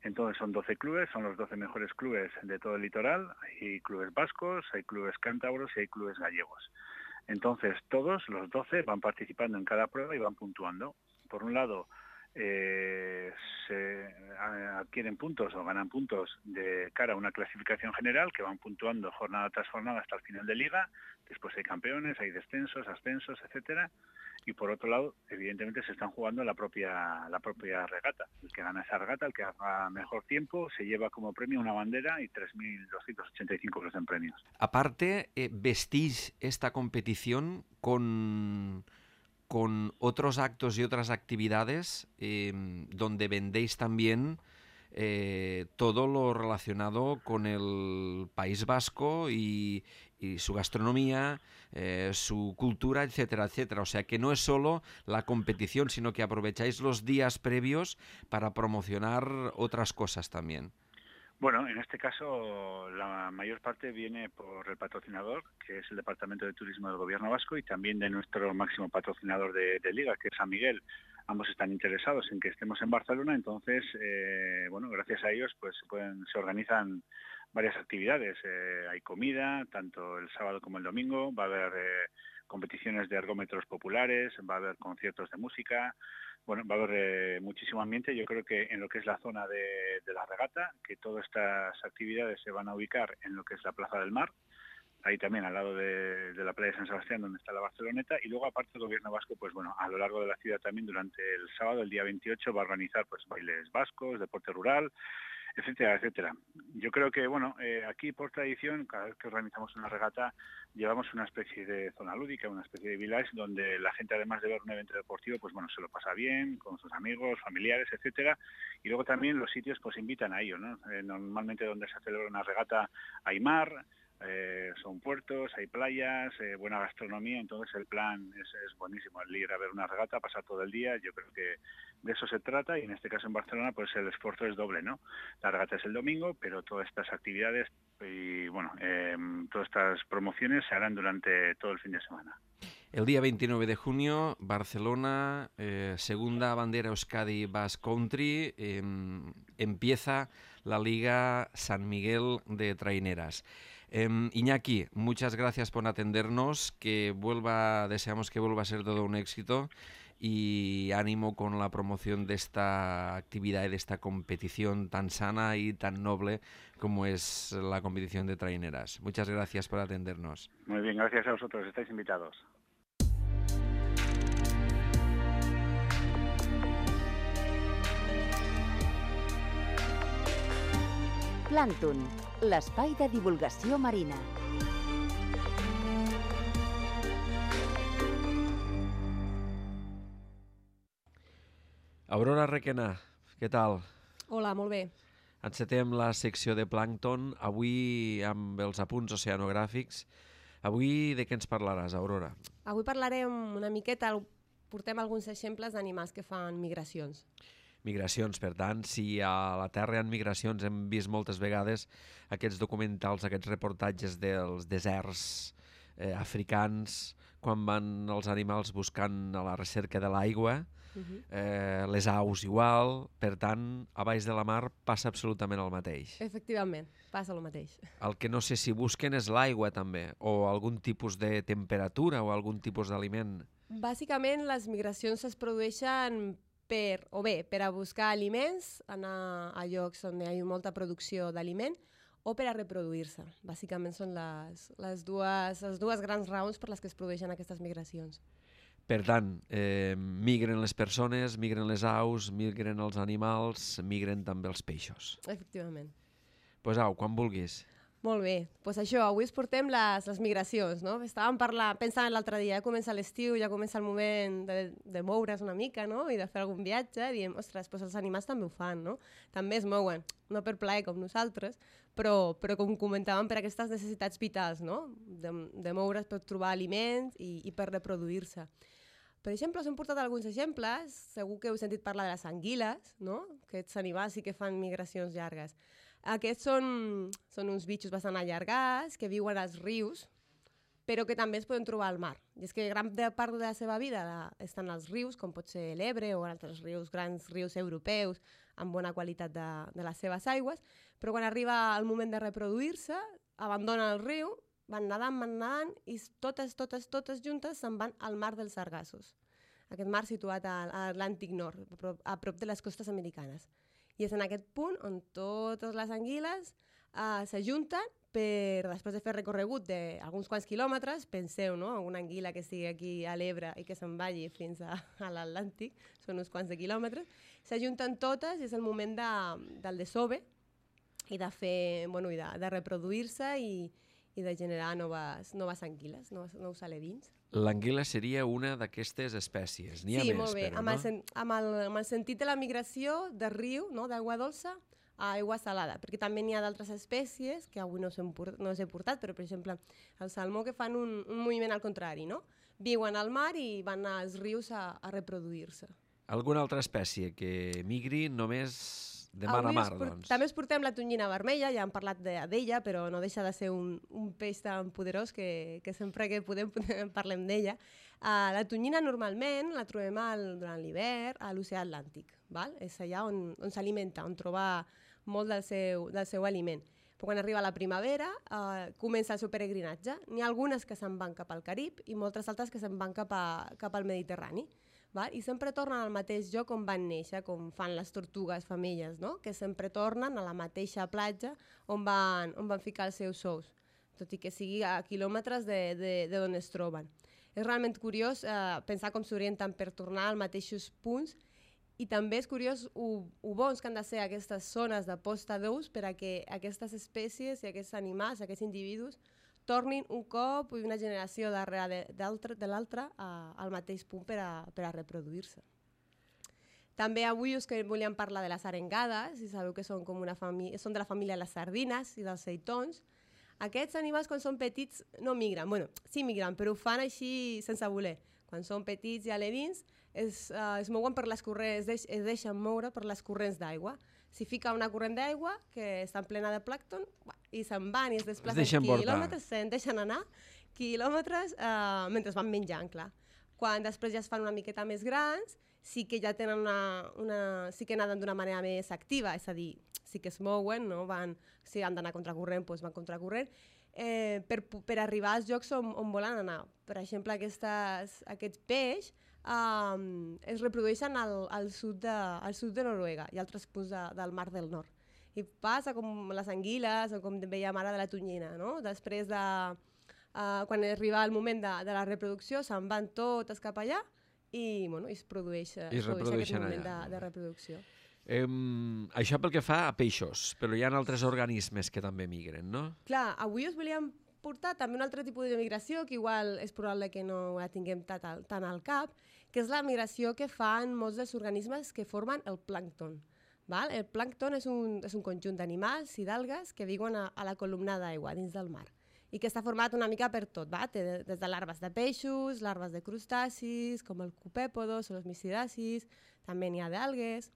Entonces son doce clubes, son los doce mejores clubes de todo el litoral, hay clubes vascos, hay clubes cántabros y hay clubes gallegos. Entonces todos los doce van participando en cada prueba y van puntuando. Por un lado, eh, se adquieren puntos o ganan puntos de cara a una clasificación general que van puntuando jornada tras jornada hasta el final de liga. Después hay campeones, hay descensos, ascensos, etcétera. Y por otro lado, evidentemente se están jugando la propia la propia regata. El que gana esa regata, el que haga mejor tiempo, se lleva como premio una bandera y tres mil doscientos ochenta y cinco euros en premios. Aparte, eh, vestís esta competición con, con otros actos y otras actividades eh, donde vendéis también eh, todo lo relacionado con el País Vasco y, y su gastronomía, eh, su cultura, etcétera, etcétera. O sea que no es solo la competición, sino que aprovecháis los días previos para promocionar otras cosas también. Bueno, en este caso la mayor parte viene por el patrocinador, que es el Departamento de Turismo del Gobierno Vasco, y también de nuestro máximo patrocinador de, de Liga, que es San Miguel. Ambos están interesados en que estemos en Barcelona, entonces, eh, bueno, gracias a ellos pues se, pueden, se organizan varias actividades. Eh, hay comida, tanto el sábado como el domingo, va a haber eh, competiciones de ergómetros populares, va a haber conciertos de música. Bueno, va a haber eh, muchísimo ambiente. Yo creo que en lo que es la zona de, de la regata, que todas estas actividades se van a ubicar en lo que es la Plaza del Mar, ahí también al lado de, de la playa de San Sebastián, donde está la Barceloneta, y luego aparte el Gobierno Vasco, pues bueno, a lo largo de la ciudad también durante el sábado, el día veintiocho, va a organizar pues bailes vascos, deporte rural, etcétera, etcétera. Yo creo que, bueno, eh, aquí por tradición, cada vez que organizamos una regata, llevamos una especie de zona lúdica, una especie de village, donde la gente, además de ver un evento deportivo, pues bueno, se lo pasa bien, con sus amigos, familiares, etcétera. Y luego también los sitios, pues invitan a ello, ¿no? Eh, normalmente donde se celebra una regata hay mar, Eh, son puertos, hay playas, eh, buena gastronomía, entonces el plan es, es buenísimo, el ir a ver una regata, pasar todo el día, yo creo que de eso se trata, y en este caso en Barcelona pues el esfuerzo es doble, ¿no? La regata es el domingo, pero todas estas actividades y bueno, eh, todas estas promociones se harán durante todo el fin de semana. El día veintinueve de junio, Barcelona, eh, segunda bandera Euskadi Basque Country, eh, empieza la Liga San Miguel de Traineras. Eh, Iñaki, muchas gracias por atendernos, que vuelva, deseamos que vuelva a ser todo un éxito y ánimo con la promoción de esta actividad y de esta competición tan sana y tan noble como es la competición de traineras. Muchas gracias por atendernos. Muy bien, gracias a vosotros, estáis invitados. Plàncton, l'espai de divulgació marina. Aurora Requena, què tal? Hola, molt bé. Encetem la secció de plàncton, avui amb els apunts oceanogràfics. Avui de què ens parlaràs, Aurora? Avui parlarem una miqueta, portem alguns exemples d'animals que fan migracions. Migracions, per tant, si a la Terra hi ha migracions, hem vist moltes vegades aquests documentals, aquests reportatges dels deserts eh, africans, quan van els animals buscant a la recerca de l'aigua, uh-huh. eh, les aus igual, per tant, a baix de la mar passa absolutament el mateix. Efectivament, passa el mateix. El que no sé si busquen és l'aigua també, o algun tipus de temperatura o algun tipus d'aliment. Bàsicament, les migracions es produeixen per, o bé, per a buscar aliments, anar a llocs on hi ha molta producció d'aliment, o per a reproduir-se. Bàsicament són les, les, dues, les dues grans raons per les que es produeixen aquestes migracions. Per tant, eh, migren les persones, migren les aus, migren els animals, migren també els peixos. Efectivament. Doncs pues au, quan vulguis. Molt bé, doncs pues això, avui es portem les, les migracions, no? Estàvem parlant, pensant l'altre dia, ja comença l'estiu, ja comença el moment de, de moure's una mica, no? I de fer algun viatge, i diem, ostres, pues els animals també ho fan, no? També es mouen, no per plaer com nosaltres, però, però com comentàvem, per aquestes necessitats vitals, no? De, de moure's per trobar aliments i, i per reproduir-se. Per exemple, us hem portat alguns exemples, segur que heu sentit parlar de les anguiles, no? Aquests animals sí que fan migracions llargues. Aquests són, són uns bitxos bastant allargats que viuen als rius, però que també es poden trobar al mar. I és que gran part de la seva vida estan als rius, com pot ser l'Ebre o altres rius, grans rius europeus, amb bona qualitat de, de les seves aigües, però quan arriba el moment de reproduir-se, abandonen el riu, van nedant, van nedant, i totes, totes, totes juntes se'n van al mar dels Sargassos. Aquest mar situat a l'Atlàntic Nord, a prop, a prop de les costes americanes. I és en aquest punt on totes les anguiles uh, s'ajunten per, després de fer recorregut d'alguns quants quilòmetres, penseu, no?, una anguila que estigui aquí a l'Ebre i que se'n vagi fins a, a l'Atlàntic, són uns quants de quilòmetres, s'ajunten totes i és el moment de, del desove i de fer, bueno, i de, de reproduir-se i, i de generar noves, noves anguiles, nous, nous alevins. L'anguila seria una d'aquestes espècies. N'hi ha sí, més, molt bé. però, amb no? El sen, amb, el, amb el sentit de la migració de riu, no?, d'aigua dolça a aigua salada, perquè també n'hi ha d'altres espècies que avui no, port, no us he portat, però, per exemple, el salmó, que fan un, un moviment al contrari, no? Viuen al mar i van als rius a, a reproduir-se. Alguna altra espècie que migri només de mar Avui a mar, port, doncs? També us portem la tonyina vermella, ja hem parlat d'ella, però no deixa de ser un, un peix tan poderós que, que sempre que podem, podem parlem d'ella. Uh, la tonyina normalment la trobem al, durant l'hivern a l'oceà Atlàntic, val? És allà on, on s'alimenta, on troba molt del seu, del seu aliment. Però quan arriba la primavera uh, comença el seu peregrinatge. N'hi ha algunes que se'n van cap al Carib i moltes altres que se'n van cap, a, cap al Mediterrani. Val? I sempre tornen al mateix lloc on van néixer, com fan les tortugues femelles, no? Que sempre tornen a la mateixa platja on van, on van ficar els seus ous, tot i que sigui a quilòmetres de, de, de on es troben. És realment curiós eh, pensar com s'orienten per tornar als mateixos punts, i també és curiós ho, ho bons que han de ser aquestes zones de posta d'ous per a que aquestes espècies i aquests animals, aquests individus, tornin un cop i una generació darrere de, de l'altra al mateix punt per a, per a reproduir-se. També avui us que volíem parlar de les arengades, i sabeu que són, com una són de la família de les sardines i dels seitons. Aquests animals, quan són petits, no migren. Bueno, sí migren, però ho fan així sense voler. Quan són petits i alevins, es, uh, es mouen per les corrents, es, deix, es deixen moure per les corrents d'aigua. Si fica una corrent d'aigua que està plena de plàncton i se'n van i es desplacen es quilòmetres, se'n deixen anar quilòmetres uh, mentre van menjant, clar. Quan després ja es fan una miqueta més grans, sí que ja tenen una, una sí que naden d'una manera més activa, és a dir, sí que es mouen, no? Van, si han d'anar contracorrent, doncs van contracorrent, eh, per, per arribar als llocs on, on volen anar. Per exemple, aquestes, aquests peix um, es reprodueixen al, al, sud de, al sud de Noruega i altres punts de, del Mar del Nord. I passa com les anguiles o com dèiem ara de la tonyina, no? Després de, uh, quan arriba el moment de, de la reproducció, se'n van totes cap allà i, bueno, i es produeix, I es produeix aquest moment de, de reproducció. Eh, això pel que fa a peixos, però hi ha altres organismes que també migren, no? Clar, avui us volíem portar també un altre tipus de migració, que igual és probable que no la tinguem tant al, tant al cap, que és la migració que fan molts dels organismes que formen el plàncton. Val? El plàncton és un, és un conjunt d'animals i d'algues que viuen a, a la columna d'aigua dins del mar i que està format una mica per tot, va? Té des de larves de peixos, larves de crustacis, com el copèpodos o els misidacis, també n'hi ha d'algues.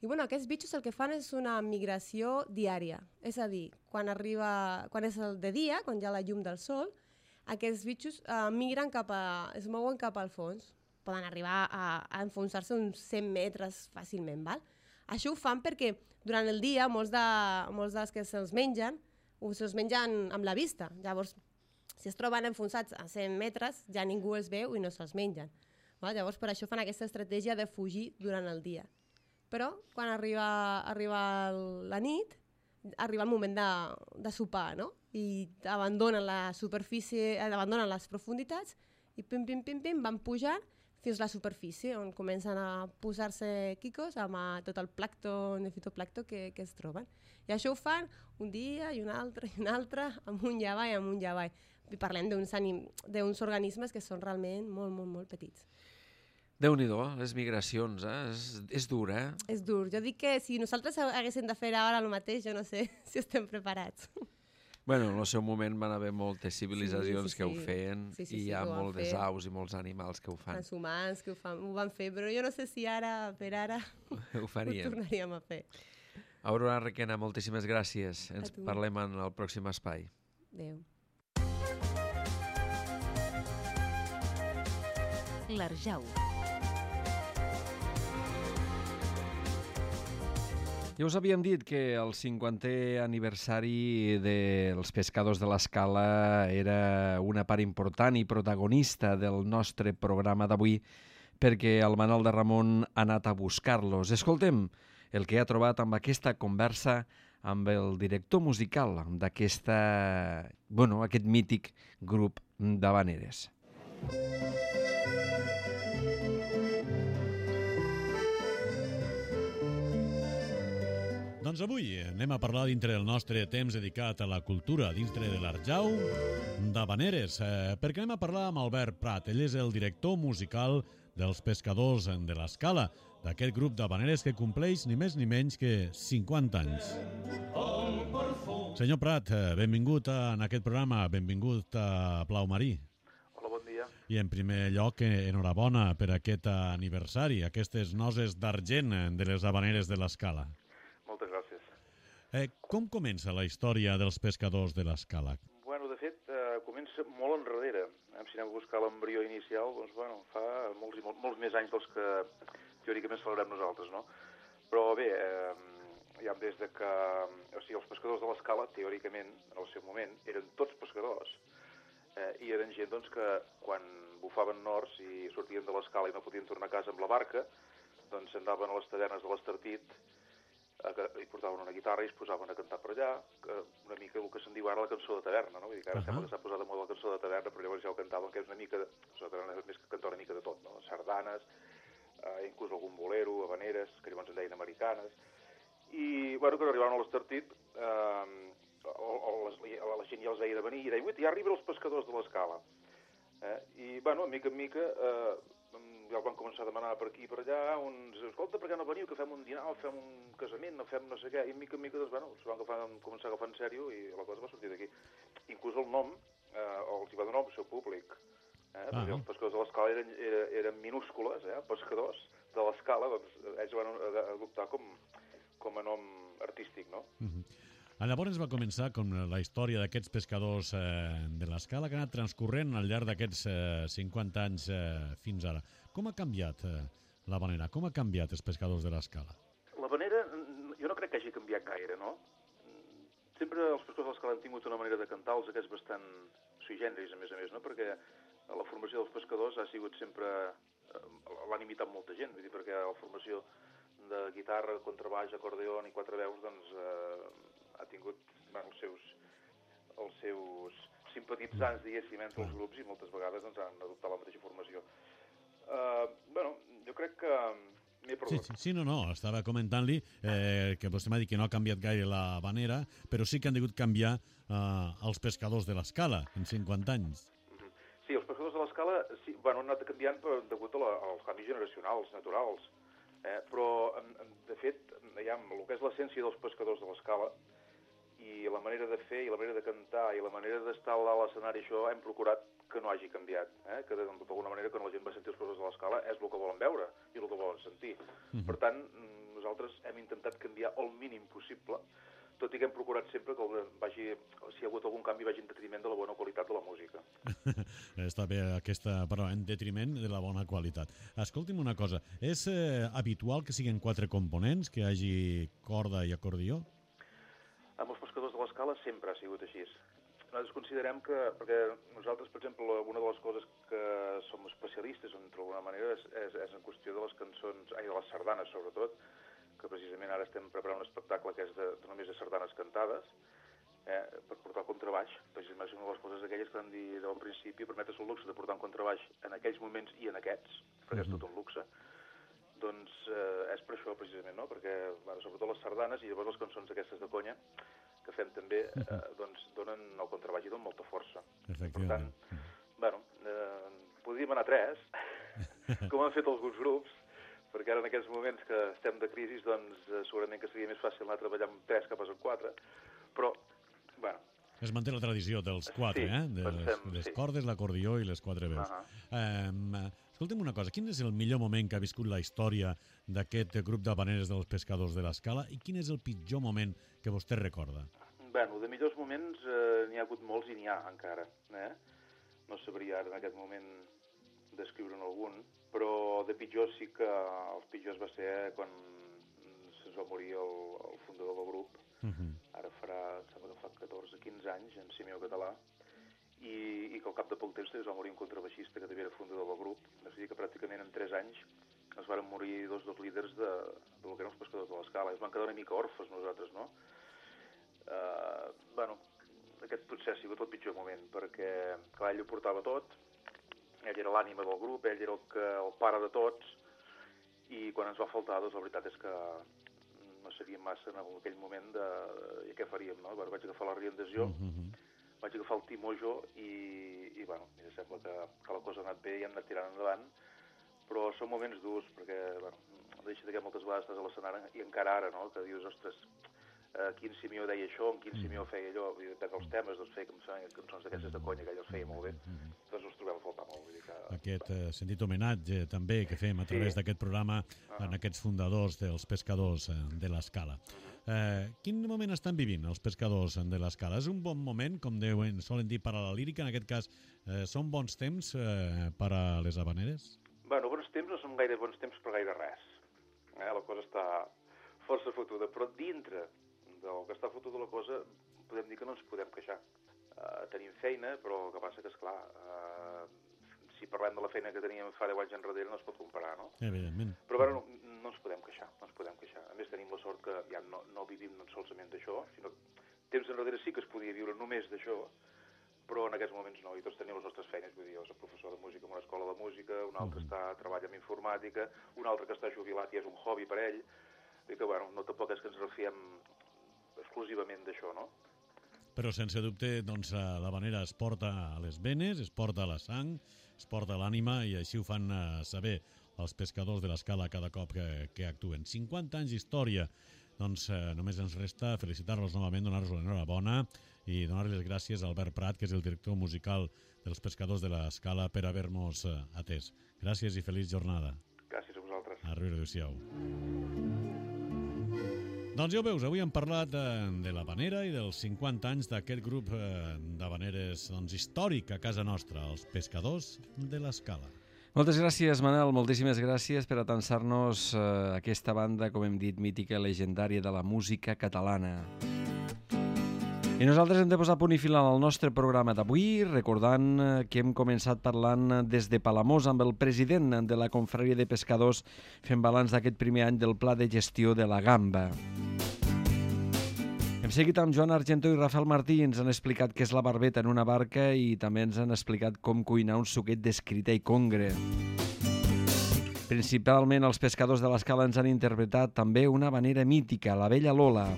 I bueno, aquests bitxos el que fan és una migració diària, és a dir, quan, arriba, quan és el de dia, quan hi ha la llum del sol, aquests bitxos uh, migren cap a, es mouen cap al fons, poden arribar a, a enfonsar-se uns cent metres fàcilment, val? Això ho fan perquè durant el dia molts, de, molts dels que se'ls mengen se'ls mengen amb la vista. Llavors, si es troben enfonsats a cent metres, ja ningú els veu i no se'ls mengen. Val? Llavors, per això fan aquesta estratègia de fugir durant el dia. Però, quan arriba, arriba la nit, arriba el moment de, de sopar, no? I abandonen la superfície, abandonen les profunditats i pim, pim, pim, pim, van pujant fins a la superfície, on comencen a posar-se quicos amb uh, tot el plàncton, el fitoplàncton que, que es troben. I això ho fan un dia i un altre i un altre, amunt i avall, amunt i avall. I parlem d'uns organismes que són realment molt, molt, molt petits. Déu-n'hi-do, les migracions, eh? És, és dur, eh? És dur. Jo dic que si nosaltres haguéssim de fer ara el mateix, jo no sé si estem preparats. Bueno, en el seu moment van haver moltes civilitzacions sí, sí, sí. que ho feien sí, sí, i sí, hi ha moltes fer. aus i molts animals que ho fan. Els humans que ho, fan, ho van fer, però jo no sé si ara, per ara, ho faríem. Ho tornaríem a fer. Aurora Requena, moltíssimes gràcies. Ens parlem en el pròxim espai. Adéu. L'Arjau. Ja us havíem dit que el cinquantè aniversari dels Pescadors de l'Escala era una part important i protagonista del nostre programa d'avui perquè el Manol de Ramon ha anat a buscar-los. Escoltem el que ha trobat amb aquesta conversa amb el director musical d'aquesta, bueno, aquest mític grup d'havaneres. Doncs avui anem a parlar dintre del nostre temps dedicat a la cultura, dintre de l'Arjau, d'havaneres, eh, perquè anem a parlar amb Albert Prat. Ell és el director musical dels Pescadors de l'Escala, d'aquest grup d'havaneres que compleix ni més ni menys que cinquanta anys. Senyor Prat, benvingut en aquest programa, benvingut a Plau Marí. Hola, bon dia. I en primer lloc, enhorabona per aquest aniversari, aquestes noses d'argent de les havaneres de l'Escala. Moltes gràcies. Eh, com comença la història dels Pescadors de l'Escala? Bueno, de fet, eh, comença molt enrere. Si anem a buscar l'embrió inicial, doncs, bueno, fa molts, molts, molts més anys dels que teòricament celebrem nosaltres, no? Però bé, eh, ja des de que... O sigui, els pescadors de l'Escala, teòricament, en el seu moment, eren tots pescadors, eh, i eren gent, doncs, que quan bufaven nords i sortien de l'Escala i no podien tornar a casa amb la barca, doncs andaven a les tavernes de l'Estartit, i portaven una guitarra i es posaven a cantar per allà, una mica el que se'n diu ara la cançó de taverna, no? Vull dir que ara uh -huh. sembla que s'ha posat de moda la cançó de taverna, però llavors ja ho cantaven, que és una mica, la cançó de taverna és més que cantar una mica de tot, no? Sardanes, eh, inclús algun bolero, habaneres, que llavors en deien americanes, i, bueno, quan arribaven a l'Estartit, eh, la gent ja els veia de venir i deia, ui, ja arriben els pescadors de l'Escala. Eh? I, bueno, a mica en mica, eh, ja van començar a demanar per aquí i per allà, uns, escolta, per què no veniu, que fem un dinar, fem un casament, no fem no sé què, i mica en mica, doncs, bueno, s'ho van agafar, començar a agafar en sèrio i la cosa va sortir d'aquí. Inclús el nom, eh, els hi va donar el seu públic, eh, ah, perquè els pescadors de l'Escala eren, eren, eren minúscules, eh, pescadors de l'Escala, doncs ells van adoptar com, com a nom artístic, no? Uh-huh. Llavors va començar com la història d'aquests pescadors eh, de l'Escala que ha anat transcorrent al llarg d'aquests eh, cinquanta anys eh, fins ara. Com ha canviat eh, l'havanera? Com ha canviat els pescadors de l'Escala? L'havanera jo no crec que hagi canviat gaire, no? Sempre els pescadors de l'Escala han tingut una manera de cantar-los que és bastant sui generis, a més a més, no? Perquè la formació dels pescadors ha sigut sempre... l'han imitat molta gent, vull dir, perquè la formació de guitarra, contrabaix, acordeon i quatre veus, doncs... Eh, ha tingut bueno, els seus els seus simpatitzants, diguéssim, entre els grups i moltes vegades doncs, han adoptat la mateixa formació. Uh, bueno, jo crec que m'he perdut. Sí, sí, sí, no, no, estava comentant-li eh, que vostè m'ha dit que no ha canviat gaire la havanera, però sí que han degut canviar eh, els pescadors de l'Escala en cinquanta anys. Uh-huh. Sí, els pescadors de l'Escala sí, bueno, han anat canviant per, degut a la, als canvis generacionals, naturals, eh, però de fet, ja, el que és l'essència dels pescadors de l'Escala i la manera de fer, i la manera de cantar, i la manera d'estar a l'escenari, això hem procurat que no hagi canviat, eh? Que d'alguna manera quan la gent va sentir els pescadors de l'Escala és el que volen veure i el que volen sentir. Uh-huh. Per tant, nosaltres hem intentat canviar el mínim possible, tot i que hem procurat sempre que vagi, si hi ha hagut algun canvi vagi en detriment de la bona qualitat de la música. Està bé aquesta paraula, en detriment de la bona qualitat. Escolti'm una cosa, és eh, habitual que siguin quatre components, que hi hagi corda i acordió? Amb els pescadors de l'Escala sempre ha sigut així. Nosaltres considerem que, perquè nosaltres, per exemple, una de les coses que som especialistes, d'alguna manera, és, és, és en qüestió de les cançons, ai, de les sardanes, sobretot, que precisament ara estem preparant un espectacle que és de, de només de sardanes cantades, eh, per portar el contrabaix, precisament una de les coses aquelles que vam dir al principi, permetre's el luxe de portar un contrabaix en aquells moments i en aquests, perquè és tot un luxe, doncs eh, és per això precisament, no? Perquè bueno, sobretot les sardanes i llavors les cançons aquestes de conya que fem també, eh, doncs donen el contrabaix i donen molta força. Per tant, bueno, eh, podríem anar a tres, com han fet alguns grups, perquè ara en aquests moments que estem de crisi, doncs eh, segurament que seria més fàcil anar a treballar amb tres que pas amb quatre, però, bueno... Es manté la tradició dels quatre, sí, eh? De pensem, les, les sí. cordes, l'acordió i les quatre veus. Uh -huh. um, escolta'm una cosa, quin és el millor moment que ha viscut la història d'aquest grup d'habaneres dels pescadors de l'Escala i quin és el pitjor moment que vostè recorda? Bueno, de millors moments eh, n'hi ha hagut molts i n'hi ha encara, eh? No sabria ara en aquest moment descriure'n algun, però de pitjor sí que els pitjors va ser quan se'ns va morir el, el fundador del grup. Uh -huh. Ara farà, sembla que fa catorze quinze anys, en Simeó Català, i, i que al cap de poc temps es va morir un contrabaixista que també era fundador del grup. És a dir, que pràcticament en tres anys es van morir dos dos líders de, de lo que eren els pescadors de l'Escala. Es van quedar una mica orfes nosaltres, no? Uh, bueno, aquest potser ha sigut el pitjor moment, perquè clar, ell ho portava tot, ell era l'ànima del grup, ell era el, que, el pare de tots, i quan ens va faltar, doncs la veritat és que no sabíem massa en aquell moment de, de què faríem, no? Vaig agafar la riendació, mm-hmm. vaig agafar el timó jo i, i bueno, em sembla que, que la cosa ha anat bé i hem anat tirant endavant, però són moments durs, perquè, bueno, deixa que moltes vegades estàs a l'escenari i encara ara, no?, que dius, ostres, Uh, quin Simeó deia això, en quin Simeó feia allò, i depèn dels temes, doncs feia cançons d'aquestes de conya, que ell els feia molt bé, doncs us trobem a faltar molt. Vull dir que... Aquest uh, sentit homenatge també que fem a través sí. d'aquest programa uh-huh. en aquests fundadors dels pescadors uh, de l'Escala. Uh-huh. Uh, quin moment estan vivint els pescadors de l'Escala? És un bon moment, com deuen, solen dir, per a la lírica, en aquest cas, uh, són bons temps uh, per a les habaneres? Bueno, bons temps no són gaire bons temps per gaire res. Eh? La cosa està força fotuda, però dintre del que està fotuda la cosa, podem dir que no ens podem queixar. Uh, tenim feina, però el que passa que, esclar, uh, si parlem de la feina que teníem fa deu anys enrere, no es pot comparar, no? Evidentment. Però bueno, no, no ens podem queixar, no ens podem queixar. A més, tenim la sort que ja no, no vivim solament d'això, sinó que temps enrere sí que es podia viure només d'això, però en aquests moments no, i tots tenim les nostres feines, vull dir, jo soc professor de música en una escola de música, un altre uh-huh. està treballa en informàtica, un altre que està jubilat i és un hobby per ell, i que, bueno, no tampoc és que ens refiem exclusivament d'això, no? Però sense dubte, doncs, l'habanera es porta a les venes, es porta a la sang, es porta a l'ànima i així ho fan uh, saber els pescadors de l'Escala cada cop que, que actuen. cinquanta anys d'història, doncs uh, només ens resta felicitar-los novament, donar-los l'enhorabona i donar les gràcies a Albert Prat, que és el director musical dels pescadors de l'Escala, per haver-nos uh, atès. Gràcies i feliç jornada. Gràcies a vosaltres. A riure, adéu-siau. Doncs ja ho veus, avui hem parlat de, de l'habanera i dels cinquanta anys d'aquest grup eh, d'habaneres doncs, històric a casa nostra, els pescadors de l'Escala. Moltes gràcies, Manel, moltíssimes gràcies per atansar-nos eh, aquesta banda, com hem dit, mítica i legendària de la música catalana. I nosaltres hem de posar punt i final al nostre programa d'avui, recordant que hem començat parlant des de Palamós amb el president de la Confraria de Pescadors fent balanç d'aquest primer any del Pla de Gestió de la Gamba. Hem seguit amb Joan Argentó i Rafael Martí, ens han explicat què és la barbeta en una barca i també ens han explicat com cuinar un suquet d'escrita i congre. Principalment els pescadors de l'Escala ens han interpretat també una habanera mítica, la Vella Lola.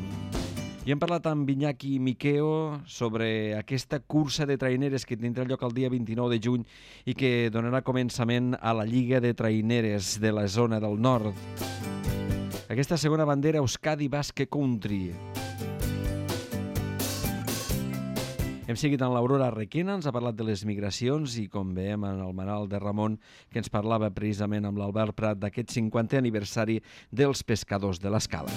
I hem parlat amb Iñaki Miqueo sobre aquesta cursa de traineres que tindrà lloc el dia vint-i-nou de juny i que donarà començament a la Lliga de Traineres de la zona del nord. Aquesta segona bandera Euskadi Basque Country. Hem seguit amb l'Aurora Requena, ens ha parlat de les migracions i com veiem en el Manal de Ramon que ens parlava precisament amb l'Albert Prat d'aquest cinquantè aniversari dels pescadors de l'Escala.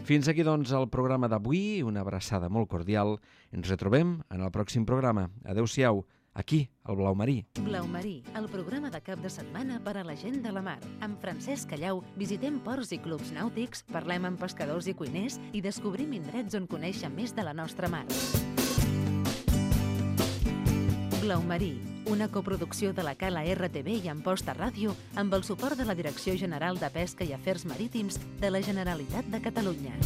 Fins aquí, doncs, el programa d'avui. Una abraçada molt cordial. Ens retrobem en el pròxim programa. Adéu-siau, aquí, al Blau Marí. Blau Marí, el programa de cap de setmana per a la gent de la mar. Amb Francesc Callau visitem ports i clubs nàutics, parlem amb pescadors i cuiners i descobrim indrets on conèixer més de la nostra mar. Blau Marí, una coproducció de la Cala R T V i Amposta Ràdio amb el suport de la Direcció General de Pesca i Afers Marítims de la Generalitat de Catalunya.